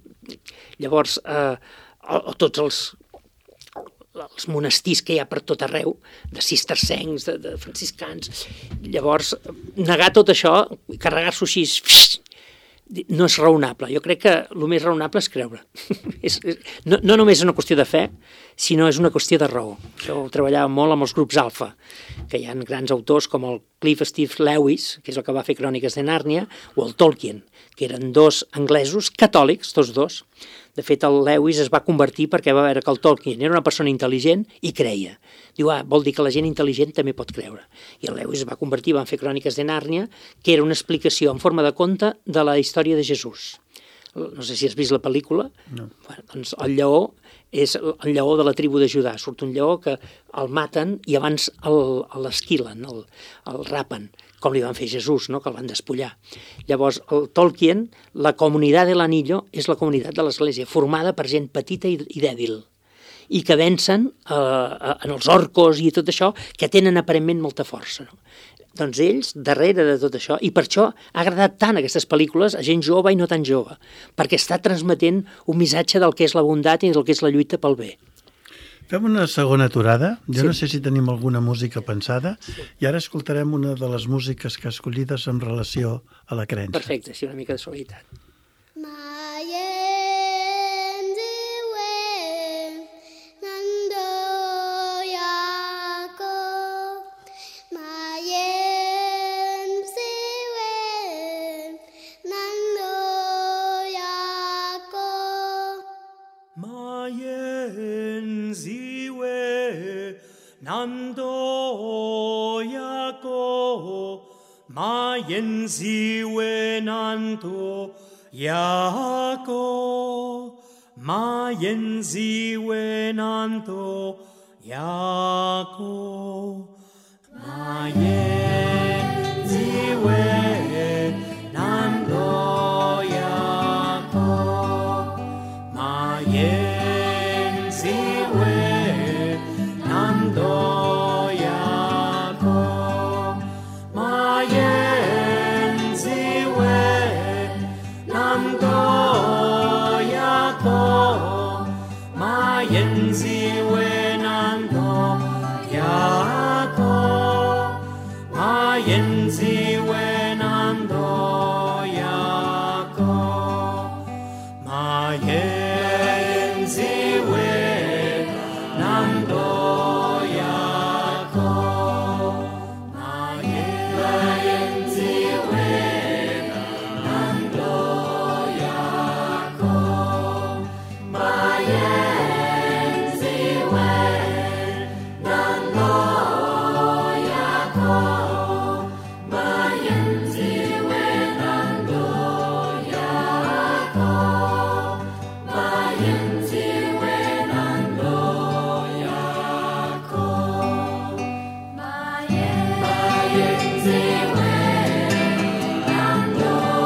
Llavors, eh, o, o tots els, els monestirs que hi ha per tot arreu, de cistercencs, de, de franciscans. Llavors, negar tot això, carregar-s'ho així, no és raonable. Jo crec que el més raonable és creure. és, és, no, no només és una qüestió de fe, sinó és una qüestió de raó. Això ho treballava molt amb els grups alfa, que hi ha grans autors com el Cliff Steve Lewis, que és el que va fer Cròniques de Nàrnia, o el Tolkien, que eren dos anglesos catòlics, tots dos. De fet, el Lewis es va convertir perquè va veure que el Tolkien era una persona intel·ligent i creia. Diu, ah, vol dir que la gent intel·ligent també pot creure. I el Lewis es va convertir, van fer Cròniques de Nàrnia, que era una explicació en forma de conte de la història de Jesús. No sé si has vist la pel·lícula. No. Bueno, doncs el lleó és el lleó de la tribu de Judà. Surt un lleó que el maten i abans l'esquilen, el, el rapen, com li van fer Jesús, no? Que el van despullar. Llavors, el Tolkien, la comunitat de l'Anillo és la comunitat de l'Església, formada per gent petita i, i dèbil, i que vencen eh, en els orcos i tot això, que tenen aparentment molta força. No? Doncs ells, darrere de tot això, i per això ha agradat tant aquestes pel·lícules a gent jove i no tan jove, perquè està transmetent un missatge del que és la bondat i del que és la lluita pel bé. Fem una segona aturada. Jo Sí. no sé si tenim alguna música pensada, i ara escoltarem una de les músiques que escollides en relació a la creença. Perfecte, sí, una mica de suavitat. Nando yako mayen ziwe nanto yako mayen ziwe nanto yako mayen ziwe nanto yako Maien ziuen andoiako, Maien ziuen andoiako, Maien ziuen andoiako, Maien ziuen andoiako, Maien ziuen andoiako, Maien ziuen andoiako, Maien ziuen andoiako,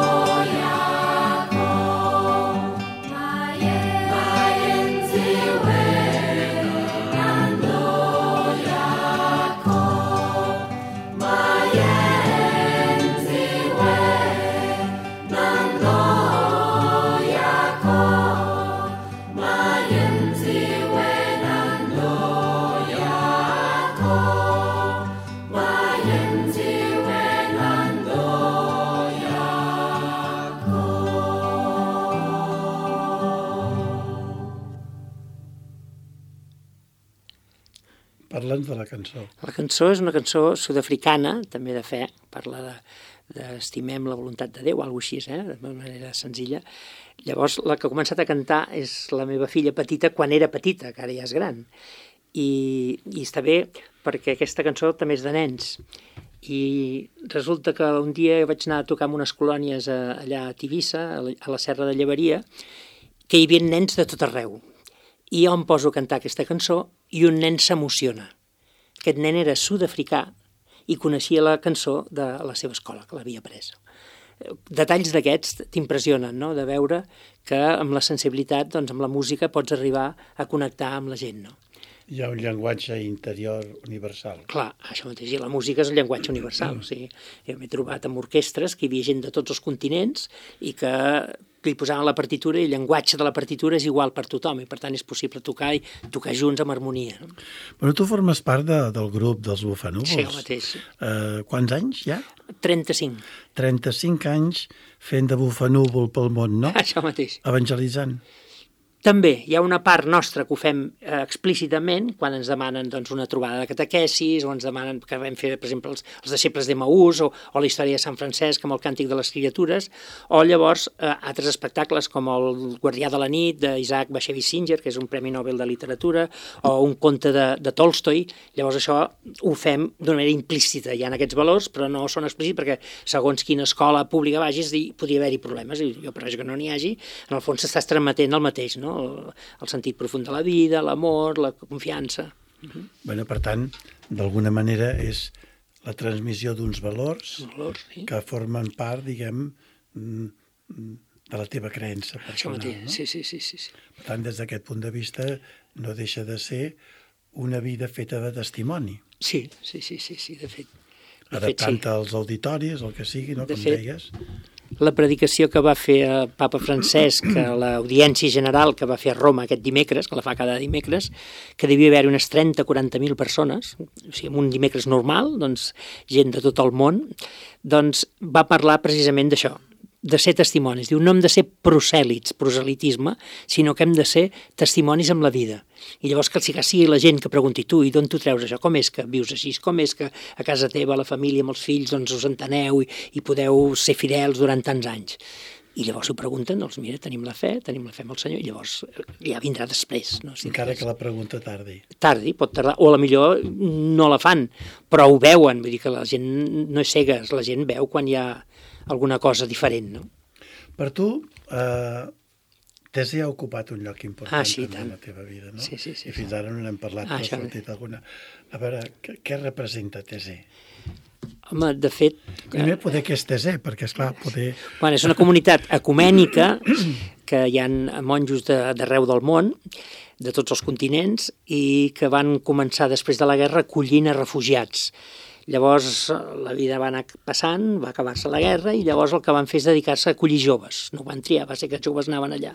Maien ziuen andoiako, Maien ziuen andoiako, Maien ziuen andoiako, Maien ziuen andoiako. Parla'ns de la cançó. La cançó és una cançó sud-africana, també de fe, parla de d'estimem la voluntat de Déu, alguna cosa així, eh? De manera senzilla. Llavors, la que ha començat a cantar és la meva filla petita quan era petita, que ara ja és gran. I, i està bé perquè aquesta cançó també és de nens. I resulta que un dia vaig anar a tocar en unes colònies a, allà a Tivissa, a la, a la Serra de Llevaria, que hi havia nens de tot arreu. I jo em poso a cantar aquesta cançó i un nen s'emociona. Aquest nen era sud-africà i coneixia la cançó de la seva escola, que l'havia pres. Detalls d'aquests t'impressionen, no?, de veure que amb la sensibilitat, doncs amb la música pots arribar a connectar amb la gent, no? Hi ha un llenguatge interior universal. Clar, això mateix, i la música és el llenguatge universal. O sigui, jo m'he trobat amb orquestres que hi havia gent de tots els continents i que li posaven la partitura i el llenguatge de la partitura és igual per tothom i per tant és possible tocar i tocar junts amb harmonia. No? Però tu formes part de, del grup dels Bufanúvols. Sí, el mateix. Uh, quants anys ja? trenta-cinc. trenta-cinc anys fent de bufanúvol pel món, no? Això mateix. Evangelitzant. També hi ha una part nostra que ho fem eh, explícitament quan ens demanen doncs, una trobada de catequesis o ens demanen que vam fer, per exemple, els, els deixebles d'Emaús o, o la història de Sant Francesc amb el Càntic de les Criatures, o llavors eh, altres espectacles com el Guardià de la nit d'Isaac Bashevis Singer, que és un Premi Nobel de Literatura, o un conte de, de Tolstoi. Llavors això ho fem d'una manera implícita. Hi ha aquests valors, però no són explícits perquè segons quina escola pública vagis podria haver-hi problemes, i jo per això que no n'hi hagi, en el fons s'estàs transmetent el mateix, no? El, el sentit profund de la vida, l'amor, la confiança. Uh-huh. Bueno, per tant, d'alguna manera és la transmissió d'uns valors, valors sí. que formen part, diguem, de la teva creença personal. No? Sí, sí, sí, sí, sí. Per tant, des d'aquest punt de vista, no deixa de ser una vida feta de testimoni. Sí, sí, sí, sí, sí de fet. De Adaptant-te fet, sí. als auditoris, el que sigui, no? De Com fet, deies. La predicació que va fer el papa Francesc a l'audiència general que va fer a Roma aquest dimecres, que la fa cada dimecres, que devia haver unes trenta o quaranta mil persones, o sigui, en un dimecres normal, doncs, gent de tot el món, doncs va parlar precisament d'això, de ser testimonis. Diu, no hem de ser prosèlits, proselitisme, sinó que hem de ser testimonis amb la vida. I llavors que sigui la gent que pregunti, tu, i d'on tu treus això? Com és que vius així? Com és que a casa teva, la família, amb els fills, doncs us enteneu i, i podeu ser fidels durant tants anys? I llavors ho pregunten, doncs mira, tenim la fe, tenim la fe amb el Senyor, i llavors ja vindrà després. No? Si Encara que la pregunta tardi. Tardi, pot tardar, o a la millor no la fan, però ho veuen, vull dir que la gent no és cega, la gent veu quan hi ha alguna cosa diferent, no? Per tu, eh, Tesi ha ocupat un lloc important ah, sí, en la teva vida, no? Sí, sí, sí. I fins ara no n'hem parlat, ah, però has sentit alguna... A veure, què, què representa Tesi? Home, de fet... Primer poder què és Tesi, perquè, esclar, poder... Bueno, és una comunitat ecumènica que hi ha monjos d'arreu del món, de tots els continents, i que van començar després de la guerra acollint a refugiats. Llavors la vida va anar passant, va acabar-se la guerra i llavors el que van fer és dedicar-se a acollir joves. No ho van triar, va ser que els joves anaven allà.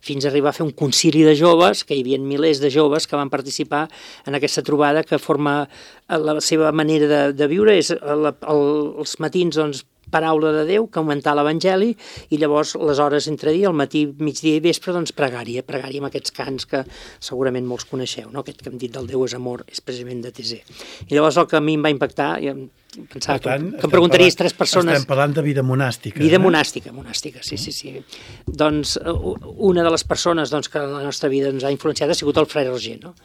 Fins a arribar a fer un concili de joves, que hi havia milers de joves que van participar en aquesta trobada que forma la seva manera de, de viure, és el, el, els matins, doncs, paraula de Déu, que augmentar l'Evangeli, i llavors les hores entre dia, al matí, migdia i vespre, doncs pregària, pregària amb aquests cants que segurament molts coneixeu, no? Aquest que hem dit del Déu és amor, és precisament de Tesé. I llavors el que a mi em va impactar, jo pensava tant, que, que em preguntaries tres persones... Estem parlant de vida monàstica. Vida eh? monàstica, monàstica, sí, sí, sí. Doncs una de les persones doncs, que la nostra vida ens ha influenciat ha sigut el frare Roger, no?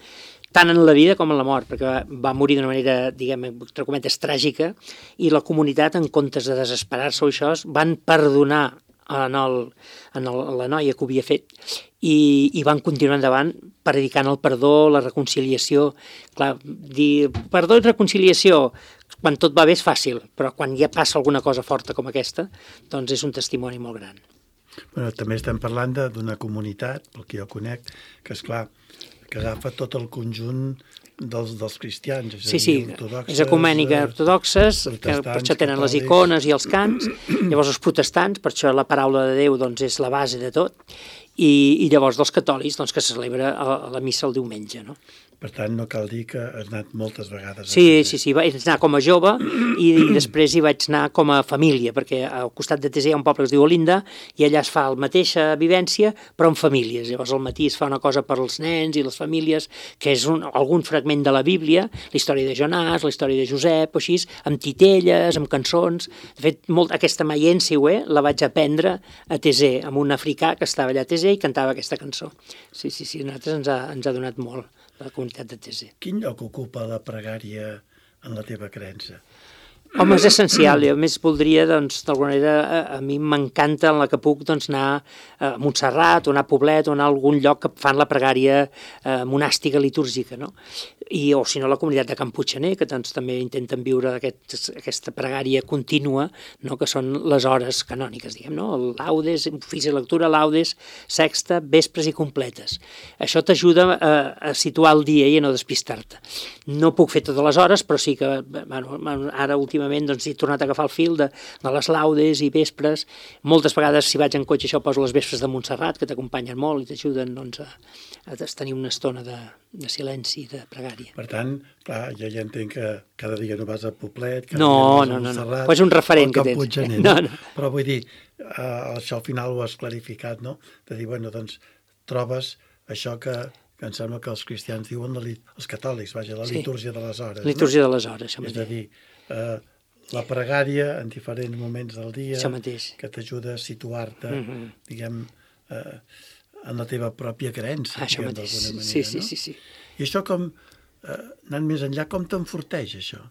Tant en la vida com en la mort, perquè va, va morir d'una manera, diguem, entre cometes, tràgica, i la comunitat, en comptes de desesperar-se o això, van perdonar en, el, en el, la noia que ho havia fet i, i van continuar endavant predicant el perdó, la reconciliació. Clar, dir perdó i reconciliació, quan tot va bé és fàcil, però quan ja passa alguna cosa forta com aquesta, doncs és un testimoni molt gran. Bueno, també estem parlant d'una comunitat, pel que jo conec, que és clar, que agafa tot el conjunt dels, dels cristians. És sí, sí, és ecumènica, ortodoxes, que per això tenen catòlics, les icones i els cants, llavors els protestants, per això la paraula de Déu doncs, és la base de tot, i, i llavors dels catòlics, doncs, que se celebra a, a la missa el diumenge, no? Per tant, no cal dir que has anat moltes vegades. Sí, sí, sí, vaig anar com a jove i, i després hi vaig anar com a família, perquè al costat de Tesé hi ha un poble que es diu Olinda i allà es fa la mateixa vivència, però en famílies. Llavors al matí es fa una cosa per als nens i les famílies, que és un, algun fragment de la Bíblia, la història de Jonàs, la història de Josep, o així, amb titelles, amb cançons. De fet, molt, aquesta Maiensiwe la vaig aprendre a Tesé, amb un africà que estava allà a Tesé i cantava aquesta cançó. Sí, sí, sí, a nosaltres ens ha, ens ha donat molt la comunitat de Tesé. Quin lloc ocupa la pregària en la teva creença? Home, és essencial. Jo més voldria, doncs, d'alguna manera, a, a mi m'encanta en la que puc doncs, anar a Montserrat o anar a Poblet o anar a algun lloc que fan la pregària eh, monàstica litúrgica, no? I, o si no, la comunitat de Can Puiggener, que doncs, també intenten viure aquest, aquesta pregària contínua, no? Que són les hores canòniques, diguem, no? El laudes, ofici de lectura, laudes, sexta, vespres i completes. Això t'ajuda a, a situar el dia i a no despistar-te. No puc fer totes les hores, però sí que, bueno, ara últimament doncs, he tornat a agafar el fil de, de les laudes i vespres. Moltes vegades, si vaig en cotxe, això poso les vespres de Montserrat, que t'acompanyen molt i t'ajuden doncs, a, a tenir una estona de, de silenci, de pregària. Per tant, clar, jo ja entenc que cada dia no vas a Poblet, cada no, dia no vas no, a Montserrat, no, no. És un referent que tens. Puiggener, no? No, no. Però vull dir, uh, això al final ho has clarificat, no? De dir, bueno, doncs, trobes això que, que em sembla que els cristians diuen, la, els catòlics, vaja, la sí. litúrgia de les hores. Litúrgia no? de les hores, això mateix. És a dir, uh, la pregària en diferents moments del dia, que t'ajuda a situar-te, mm-hmm. diguem, eh, en la teva pròpia creença, això diguem, mateix. d'alguna manera. Sí, sí, no? sí, sí. I això com, eh, anant més enllà, com t'enforteix això?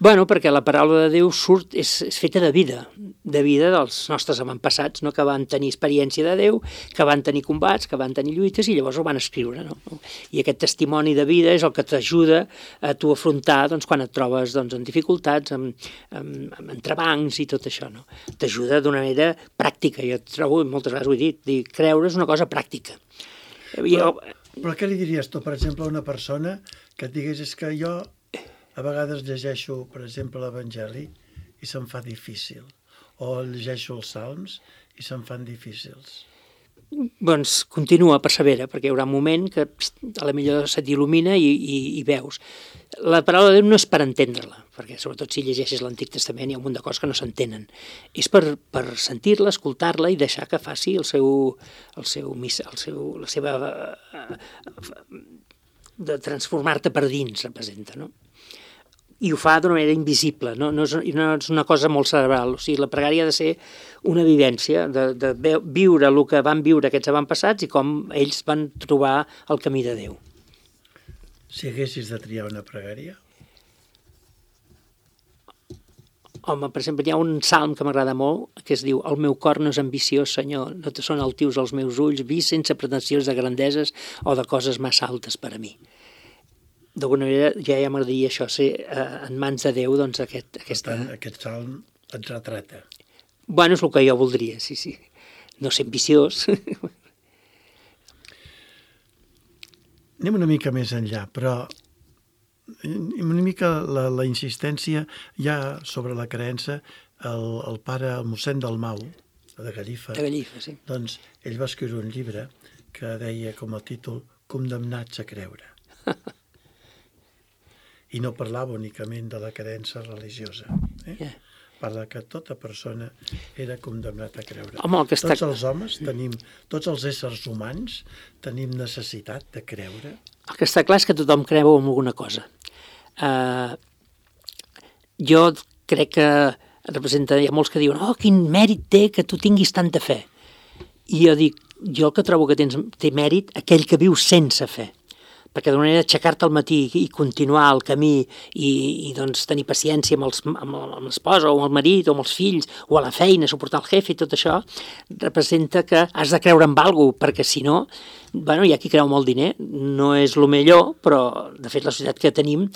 Bueno, perquè la paraula de Déu surt, és, és feta de vida, de vida dels nostres avantpassats, no? Que van tenir experiència de Déu, que van tenir combats, que van tenir lluites i llavors ho van escriure. No? I aquest testimoni de vida és el que t'ajuda a tu afrontar doncs, quan et trobes doncs, en dificultats, amb, amb, amb entrebancs i tot això. No? T'ajuda d'una manera pràctica. Jo trobo, moltes vegades ho he dit, dir, creure és una cosa pràctica. Però, però què li diries tu, per exemple, a una persona que et digués és que jo a vegades llegeixo, per exemple, l'Evangeli i se'm fa difícil, o llegeixo els Salms i se'm fan difícils? Doncs continua, persevera, perquè hi haurà un moment que a la millor se t'il·lumina i, i, i veus. La paraula de Déu no és per entendre-la, perquè sobretot si llegeixes l'Antic Testament hi ha un munt de coses que no s'entenen. És per, per sentir-la, escoltar-la i deixar que faci el seu, el seu, el seu, la seva... de transformar-te per dins, representa, no? I ho fa d'una manera invisible, no? No, és, no és una cosa molt cerebral. O sigui, la pregària ha de ser una vivència, de, de viure el que van viure aquests avantpassats i com ells van trobar el camí de Déu. Si haguessis de triar una pregària? Home, per exemple, hi ha un salm que m'agrada molt, que es diu «El meu cor no és ambiciós, Senyor, no te són altius els meus ulls, vist sense pretensions de grandeses o de coses massa altes per a mi». D'alguna manera ja, ja m'agradaria això, ser eh, en mans de Déu, doncs aquest... Aquesta... Per tant, aquest salm et retrata. Bueno, és el que jo voldria, sí, sí. No ser ambiciós. Anem una mica més enllà, però una mica la, la insistència ja sobre la creença, el, el pare, el mossèn Dalmau, de Gallifa, De Gallifa, sí. doncs ell va escriure un llibre que deia com a títol Condemnats a creure. I no parlava únicament de la creença religiosa. Eh? Yeah. Parla que tota persona era condemnat a creure. Home, el que està... Tots els homes tenim, tots els éssers humans tenim necessitat de creure. El que està clar és que tothom creu en alguna cosa. Uh, jo crec que representa, hi ha molts que diuen oh, quin mèrit té que tu tinguis tanta fe. I jo dic, jo el que trobo que tens, té mèrit aquell que viu sense fe. Perquè d'una manera aixecar-te al matí i continuar el camí i, i doncs, tenir paciència amb, els, amb, amb l'esposa o amb el marit o amb els fills o a la feina, suportar el jefe i tot això, representa que has de creure en alguna cosa, perquè si no, bueno, hi ha qui creu molt diner, no és el millor, però de fet la societat que tenim,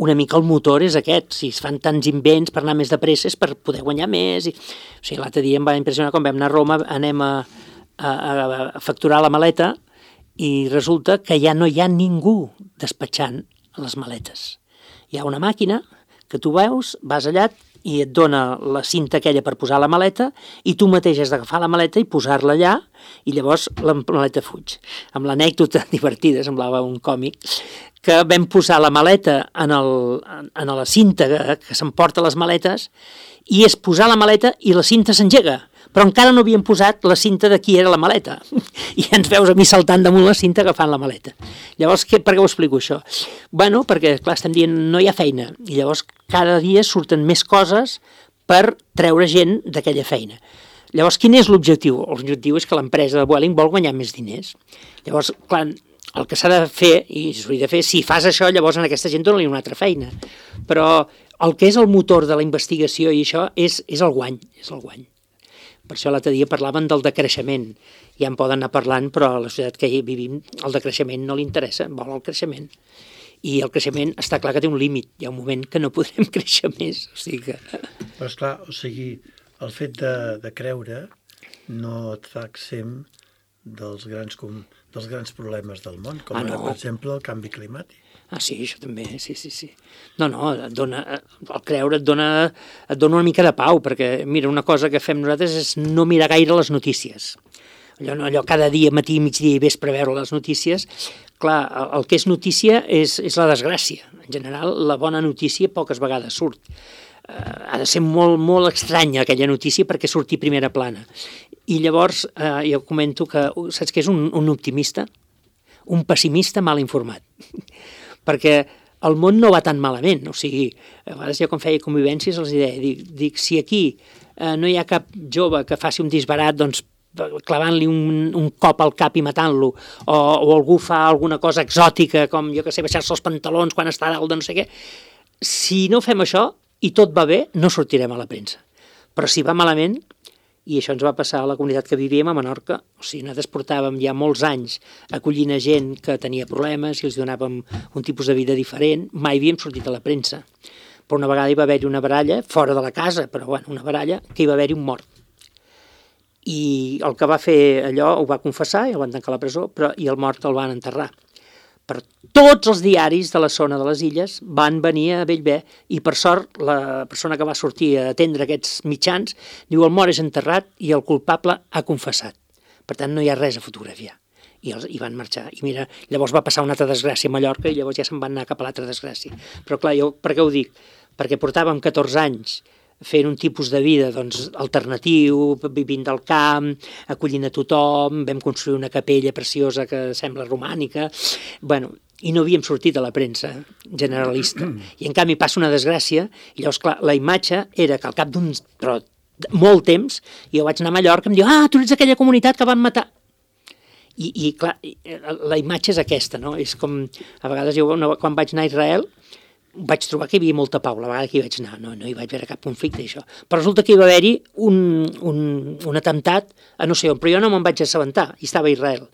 una mica el motor és aquest, si es fan tants invents per anar més de pressa és per poder guanyar més. I... O sigui, l'altre dia em va impressionar quan vam anar a Roma, anem a, a, a facturar la maleta, i resulta que ja no hi ha ningú despatxant les maletes. Hi ha una màquina que tu veus, vas allà i et dona la cinta aquella per posar la maleta i tu mateix has d'agafar la maleta i posar-la allà i llavors la maleta fuig. Amb l'anècdota divertida, semblava un còmic, que vam posar la maleta en, el, en la cinta que, que s'emporta les maletes i és posar la maleta i la cinta s'engega. Però encara no havíem posat la cinta de qui era la maleta. I ens veus a mi saltant damunt la cinta agafant la maleta. Llavors, què, per què ho explico, això? Bueno, perquè, clar, estem dient no hi ha feina. I llavors cada dia surten més coses per treure gent d'aquella feina. Llavors, quin és l'objectiu? L'objectiu és que l'empresa de Vueling vol guanyar més diners. Llavors, clar, el que s'ha de fer, i s'hauria de fer, si fas això, llavors a aquesta gent dona-li una altra feina. Però el que és el motor de la investigació i això és, és el guany, és el guany. Per això l'altre dia parlaven del decreixement. Ja en poden anar parlant, però a la societat que hi vivim el decreixement no li interessa, vol el creixement. I el creixement està clar que té un límit. Hi ha un moment que no podrem créixer més. O sigui que... Però esclar, o sigui, el fet de, de creure no et fa exempt dels grans, com, dels grans problemes del món, com ah, ara, no. per exemple, el canvi climàtic. Ah, sí, això també, sí, sí, sí. No, no, et dona, el creure et dona, et dona una mica de pau, perquè, mira, una cosa que fem nosaltres és no mirar gaire les notícies. Allò, allò cada dia, matí, migdia i vespre, veure les notícies. Clar, el que és notícia és, és la desgràcia. En general, la bona notícia poques vegades surt. Uh, ha de ser molt, molt estranya aquella notícia perquè surti primera plana. I llavors, uh, jo comento que, saps què és un, un optimista? Un pessimista mal informat. Perquè el món no va tan malament, o sigui, a vegades jo quan feia convivències els deia, dic, dic si aquí eh, no hi ha cap jove que faci un disbarat, doncs clavant-li un, un cop al cap i matant-lo, o, o algú fa alguna cosa exòtica, com jo que sé, baixar-se els pantalons quan està dalt de no sé què, si no fem això i tot va bé, no sortirem a la premsa. Però si va malament, i això ens va passar a la comunitat que vivíem a Menorca, o sigui, nosaltres portàvem ja molts anys acollint a gent que tenia problemes i els donàvem un tipus de vida diferent, mai havíem sortit a la premsa. Però una vegada hi va haver-hi una baralla, fora de la casa, però bueno, una baralla, que hi va haver-hi un mort. I el que va fer allò ho va confessar i el van tancar a la presó, però, i el mort el van enterrar. Per tots els diaris de la zona de les illes van venir a Bellver i per sort la persona que va sortir a atendre aquests mitjans diu el mort és enterrat i el culpable ha confessat. Per tant no hi ha res a fotografiar. I, els, i van marxar. I mira, llavors va passar una altra desgràcia a Mallorca i llavors ja se'n van anar cap a l'altra desgràcia. Però clar, jo per què ho dic? Perquè portàvem catorze anys fent un tipus de vida doncs, alternatiu, vivint del camp, acollint a tothom, vam construir una capella preciosa que sembla romànica, bueno, i no havíem sortit a la premsa generalista. I en canvi passa una desgràcia, i llavors, clar, la imatge era que al cap d'un però, molt temps, jo vaig anar a Mallorca i em diu, ah, tu ets aquella comunitat que van matar. I, i clar, la imatge és aquesta, no? És com, a vegades jo quan vaig anar a Israel, vaig trobar que hi havia molta pau, la vegada que hi vaig anar, no, no hi vaig veure cap conflicte, això. Però resulta que hi va haver-hi un, un, un atemptat a no sé on, però jo no me'n vaig assabentar, i estava a Israel.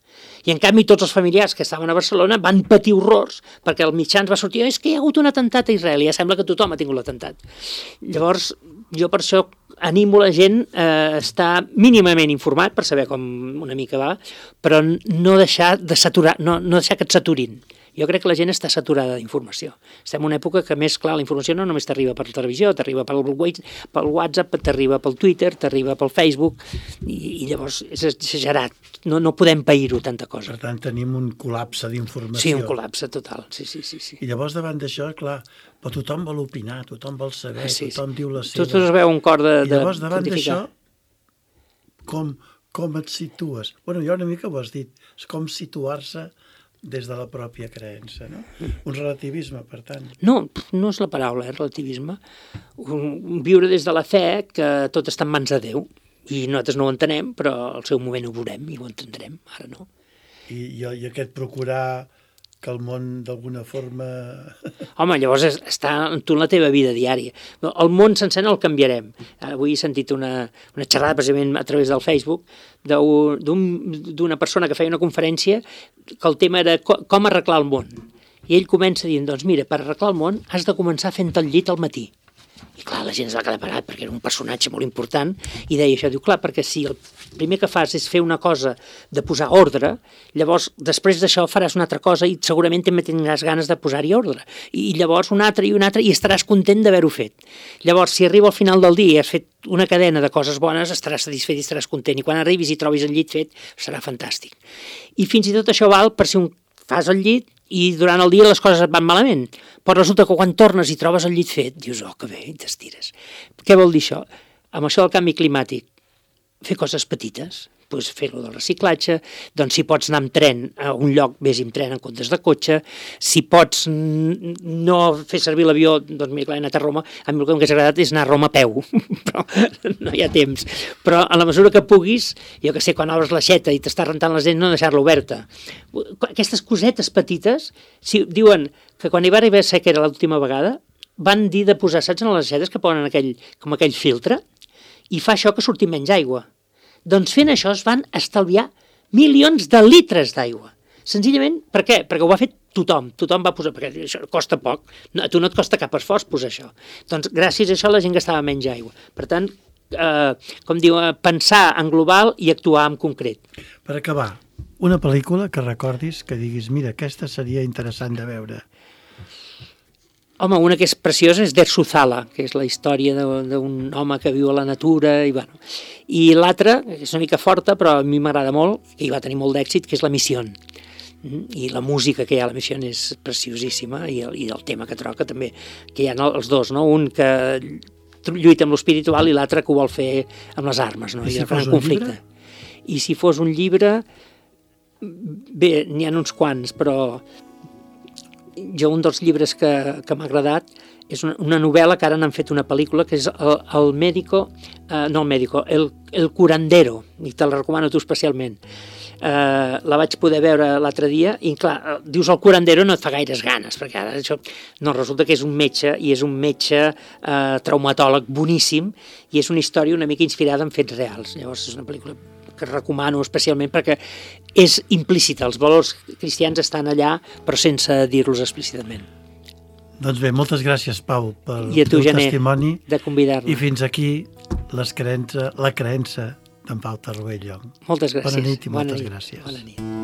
I en canvi tots els familiars que estaven a Barcelona van patir horrors, perquè el mitjans va sortir, és que hi ha hagut un atemptat a Israel, i ja sembla que tothom ha tingut l'atemptat. Llavors, jo per això animo la gent a estar mínimament informat per saber com una mica va, però no deixar de saturar, no, no deixar que et saturin. Jo crec que la gent està saturada d'informació. Estem en una època que, més clar, la informació no només t'arriba per televisió, t'arriba pel WhatsApp, t'arriba pel Twitter, t'arriba pel Facebook, i, i llavors és exagerat. No, no podem pair-ho tanta cosa. Per tant, tenim un col·lapse d'informació. Sí, un col·lapse total, sí, sí, sí. sí. I llavors, davant d'això, clar, però tothom vol opinar, tothom vol saber, sí, tothom sí. diu la seva. Tots es veu un cor de, I llavors, de davant pontificar. d'això, com, com et situes? Bueno, ja una mica ho has dit, és com situar-se des de la pròpia creença, no? Un relativisme, per tant. No, no és la paraula, eh, relativisme. Un, viure des de la fe que tot està en mans de Déu. I nosaltres no ho entenem, però al seu moment ho veurem i ho entendrem, ara no. I, i, i aquest procurar que el món d'alguna forma... Home, llavors és, està tu en la teva vida diària. El món sencer no el canviarem. Avui he sentit una, una xerrada precisament a través del Facebook d'una persona que feia una conferència que el tema era com arreglar el món. I ell comença dient, doncs mira, per arreglar el món has de començar fent el llit al matí. I clar, la gent es va quedar parat perquè era un personatge molt important i deia això, diu, clar, perquè si el primer que fas és fer una cosa de posar ordre, llavors després d'això faràs una altra cosa i segurament també tindràs ganes de posar-hi ordre. I llavors una altra i una altra i estaràs content d'haver-ho fet. Llavors, si arriba al final del dia i has fet una cadena de coses bones, estaràs satisfet i estaràs content. I quan arribis i trobis el llit fet, serà fantàstic. I fins i tot això val per si un fas el llit i durant el dia les coses et van malament, però resulta que quan tornes i trobes el llit fet, dius, oh, que bé, i t'estires. Què vol dir això? Amb això del canvi climàtic, fer coses petites, doncs fer-lo del reciclatge, doncs si pots anar amb tren a un lloc, vés amb tren en comptes de cotxe, si pots no fer servir l'avió, doncs mira, clar, he anat a Roma, a mi el que m'hagués agradat és anar a Roma a peu, però no hi ha temps. Però a la mesura que puguis, jo que sé, quan obres l'aixeta i t'està rentant les dents, no deixar-la oberta. Aquestes cosetes petites, si diuen que quan hi va arribar a ser que era l'última vegada, van dir de posar, saps, en les aixetes que posen aquell, com aquell filtre, i fa això que surti menys aigua. Doncs fent això es van estalviar milions de litres d'aigua. Senzillament, per què? Perquè ho va fer tothom. Tothom va posar, perquè això costa poc. No, a tu no et costa cap esforç posar això. Doncs gràcies a això la gent gastava menys aigua. Per tant, eh, com diu, pensar en global i actuar en concret. Per acabar, una pel·lícula que recordis, que diguis, mira, aquesta seria interessant de veure. Home, una que és preciosa és Derzuzala, que és la història d'un home que viu a la natura, i bueno. I l'altra, que és una mica forta, però a mi m'agrada molt, i va tenir molt d'èxit, que és La Missió. I la música que hi ha a La Missió és preciosíssima, i el, i el tema que troca també, que hi ha els dos, no? Un que lluita amb l'espiritual i l'altre que ho vol fer amb les armes, no? I si I fos un conflicte. Llibre? I si fos un llibre, bé, n'hi ha uns quants, però jo un dels llibres que, que m'ha agradat és una, una novel·la que ara n'han fet una pel·lícula, que és el, el Médico, eh, no el Médico, el, el Curandero, i te la recomano tu especialment. Eh, la vaig poder veure l'altre dia i clar, dius el curandero no et fa gaires ganes, perquè ara això no, resulta que és un metge i és un metge eh, traumatòleg boníssim i és una història una mica inspirada en fets reals. Llavors és una pel·lícula que recomano especialment perquè és implícita, els valors cristians estan allà però sense dir-los explícitament. Doncs bé, moltes gràcies, Pau, pel I a tu, teu Gené, testimoni de convidar-me. i fins aquí les creença, la creença d'en Pau Tarruell. Moltes gràcies. Bona nit i moltes Bona nit. gràcies. Bona nit.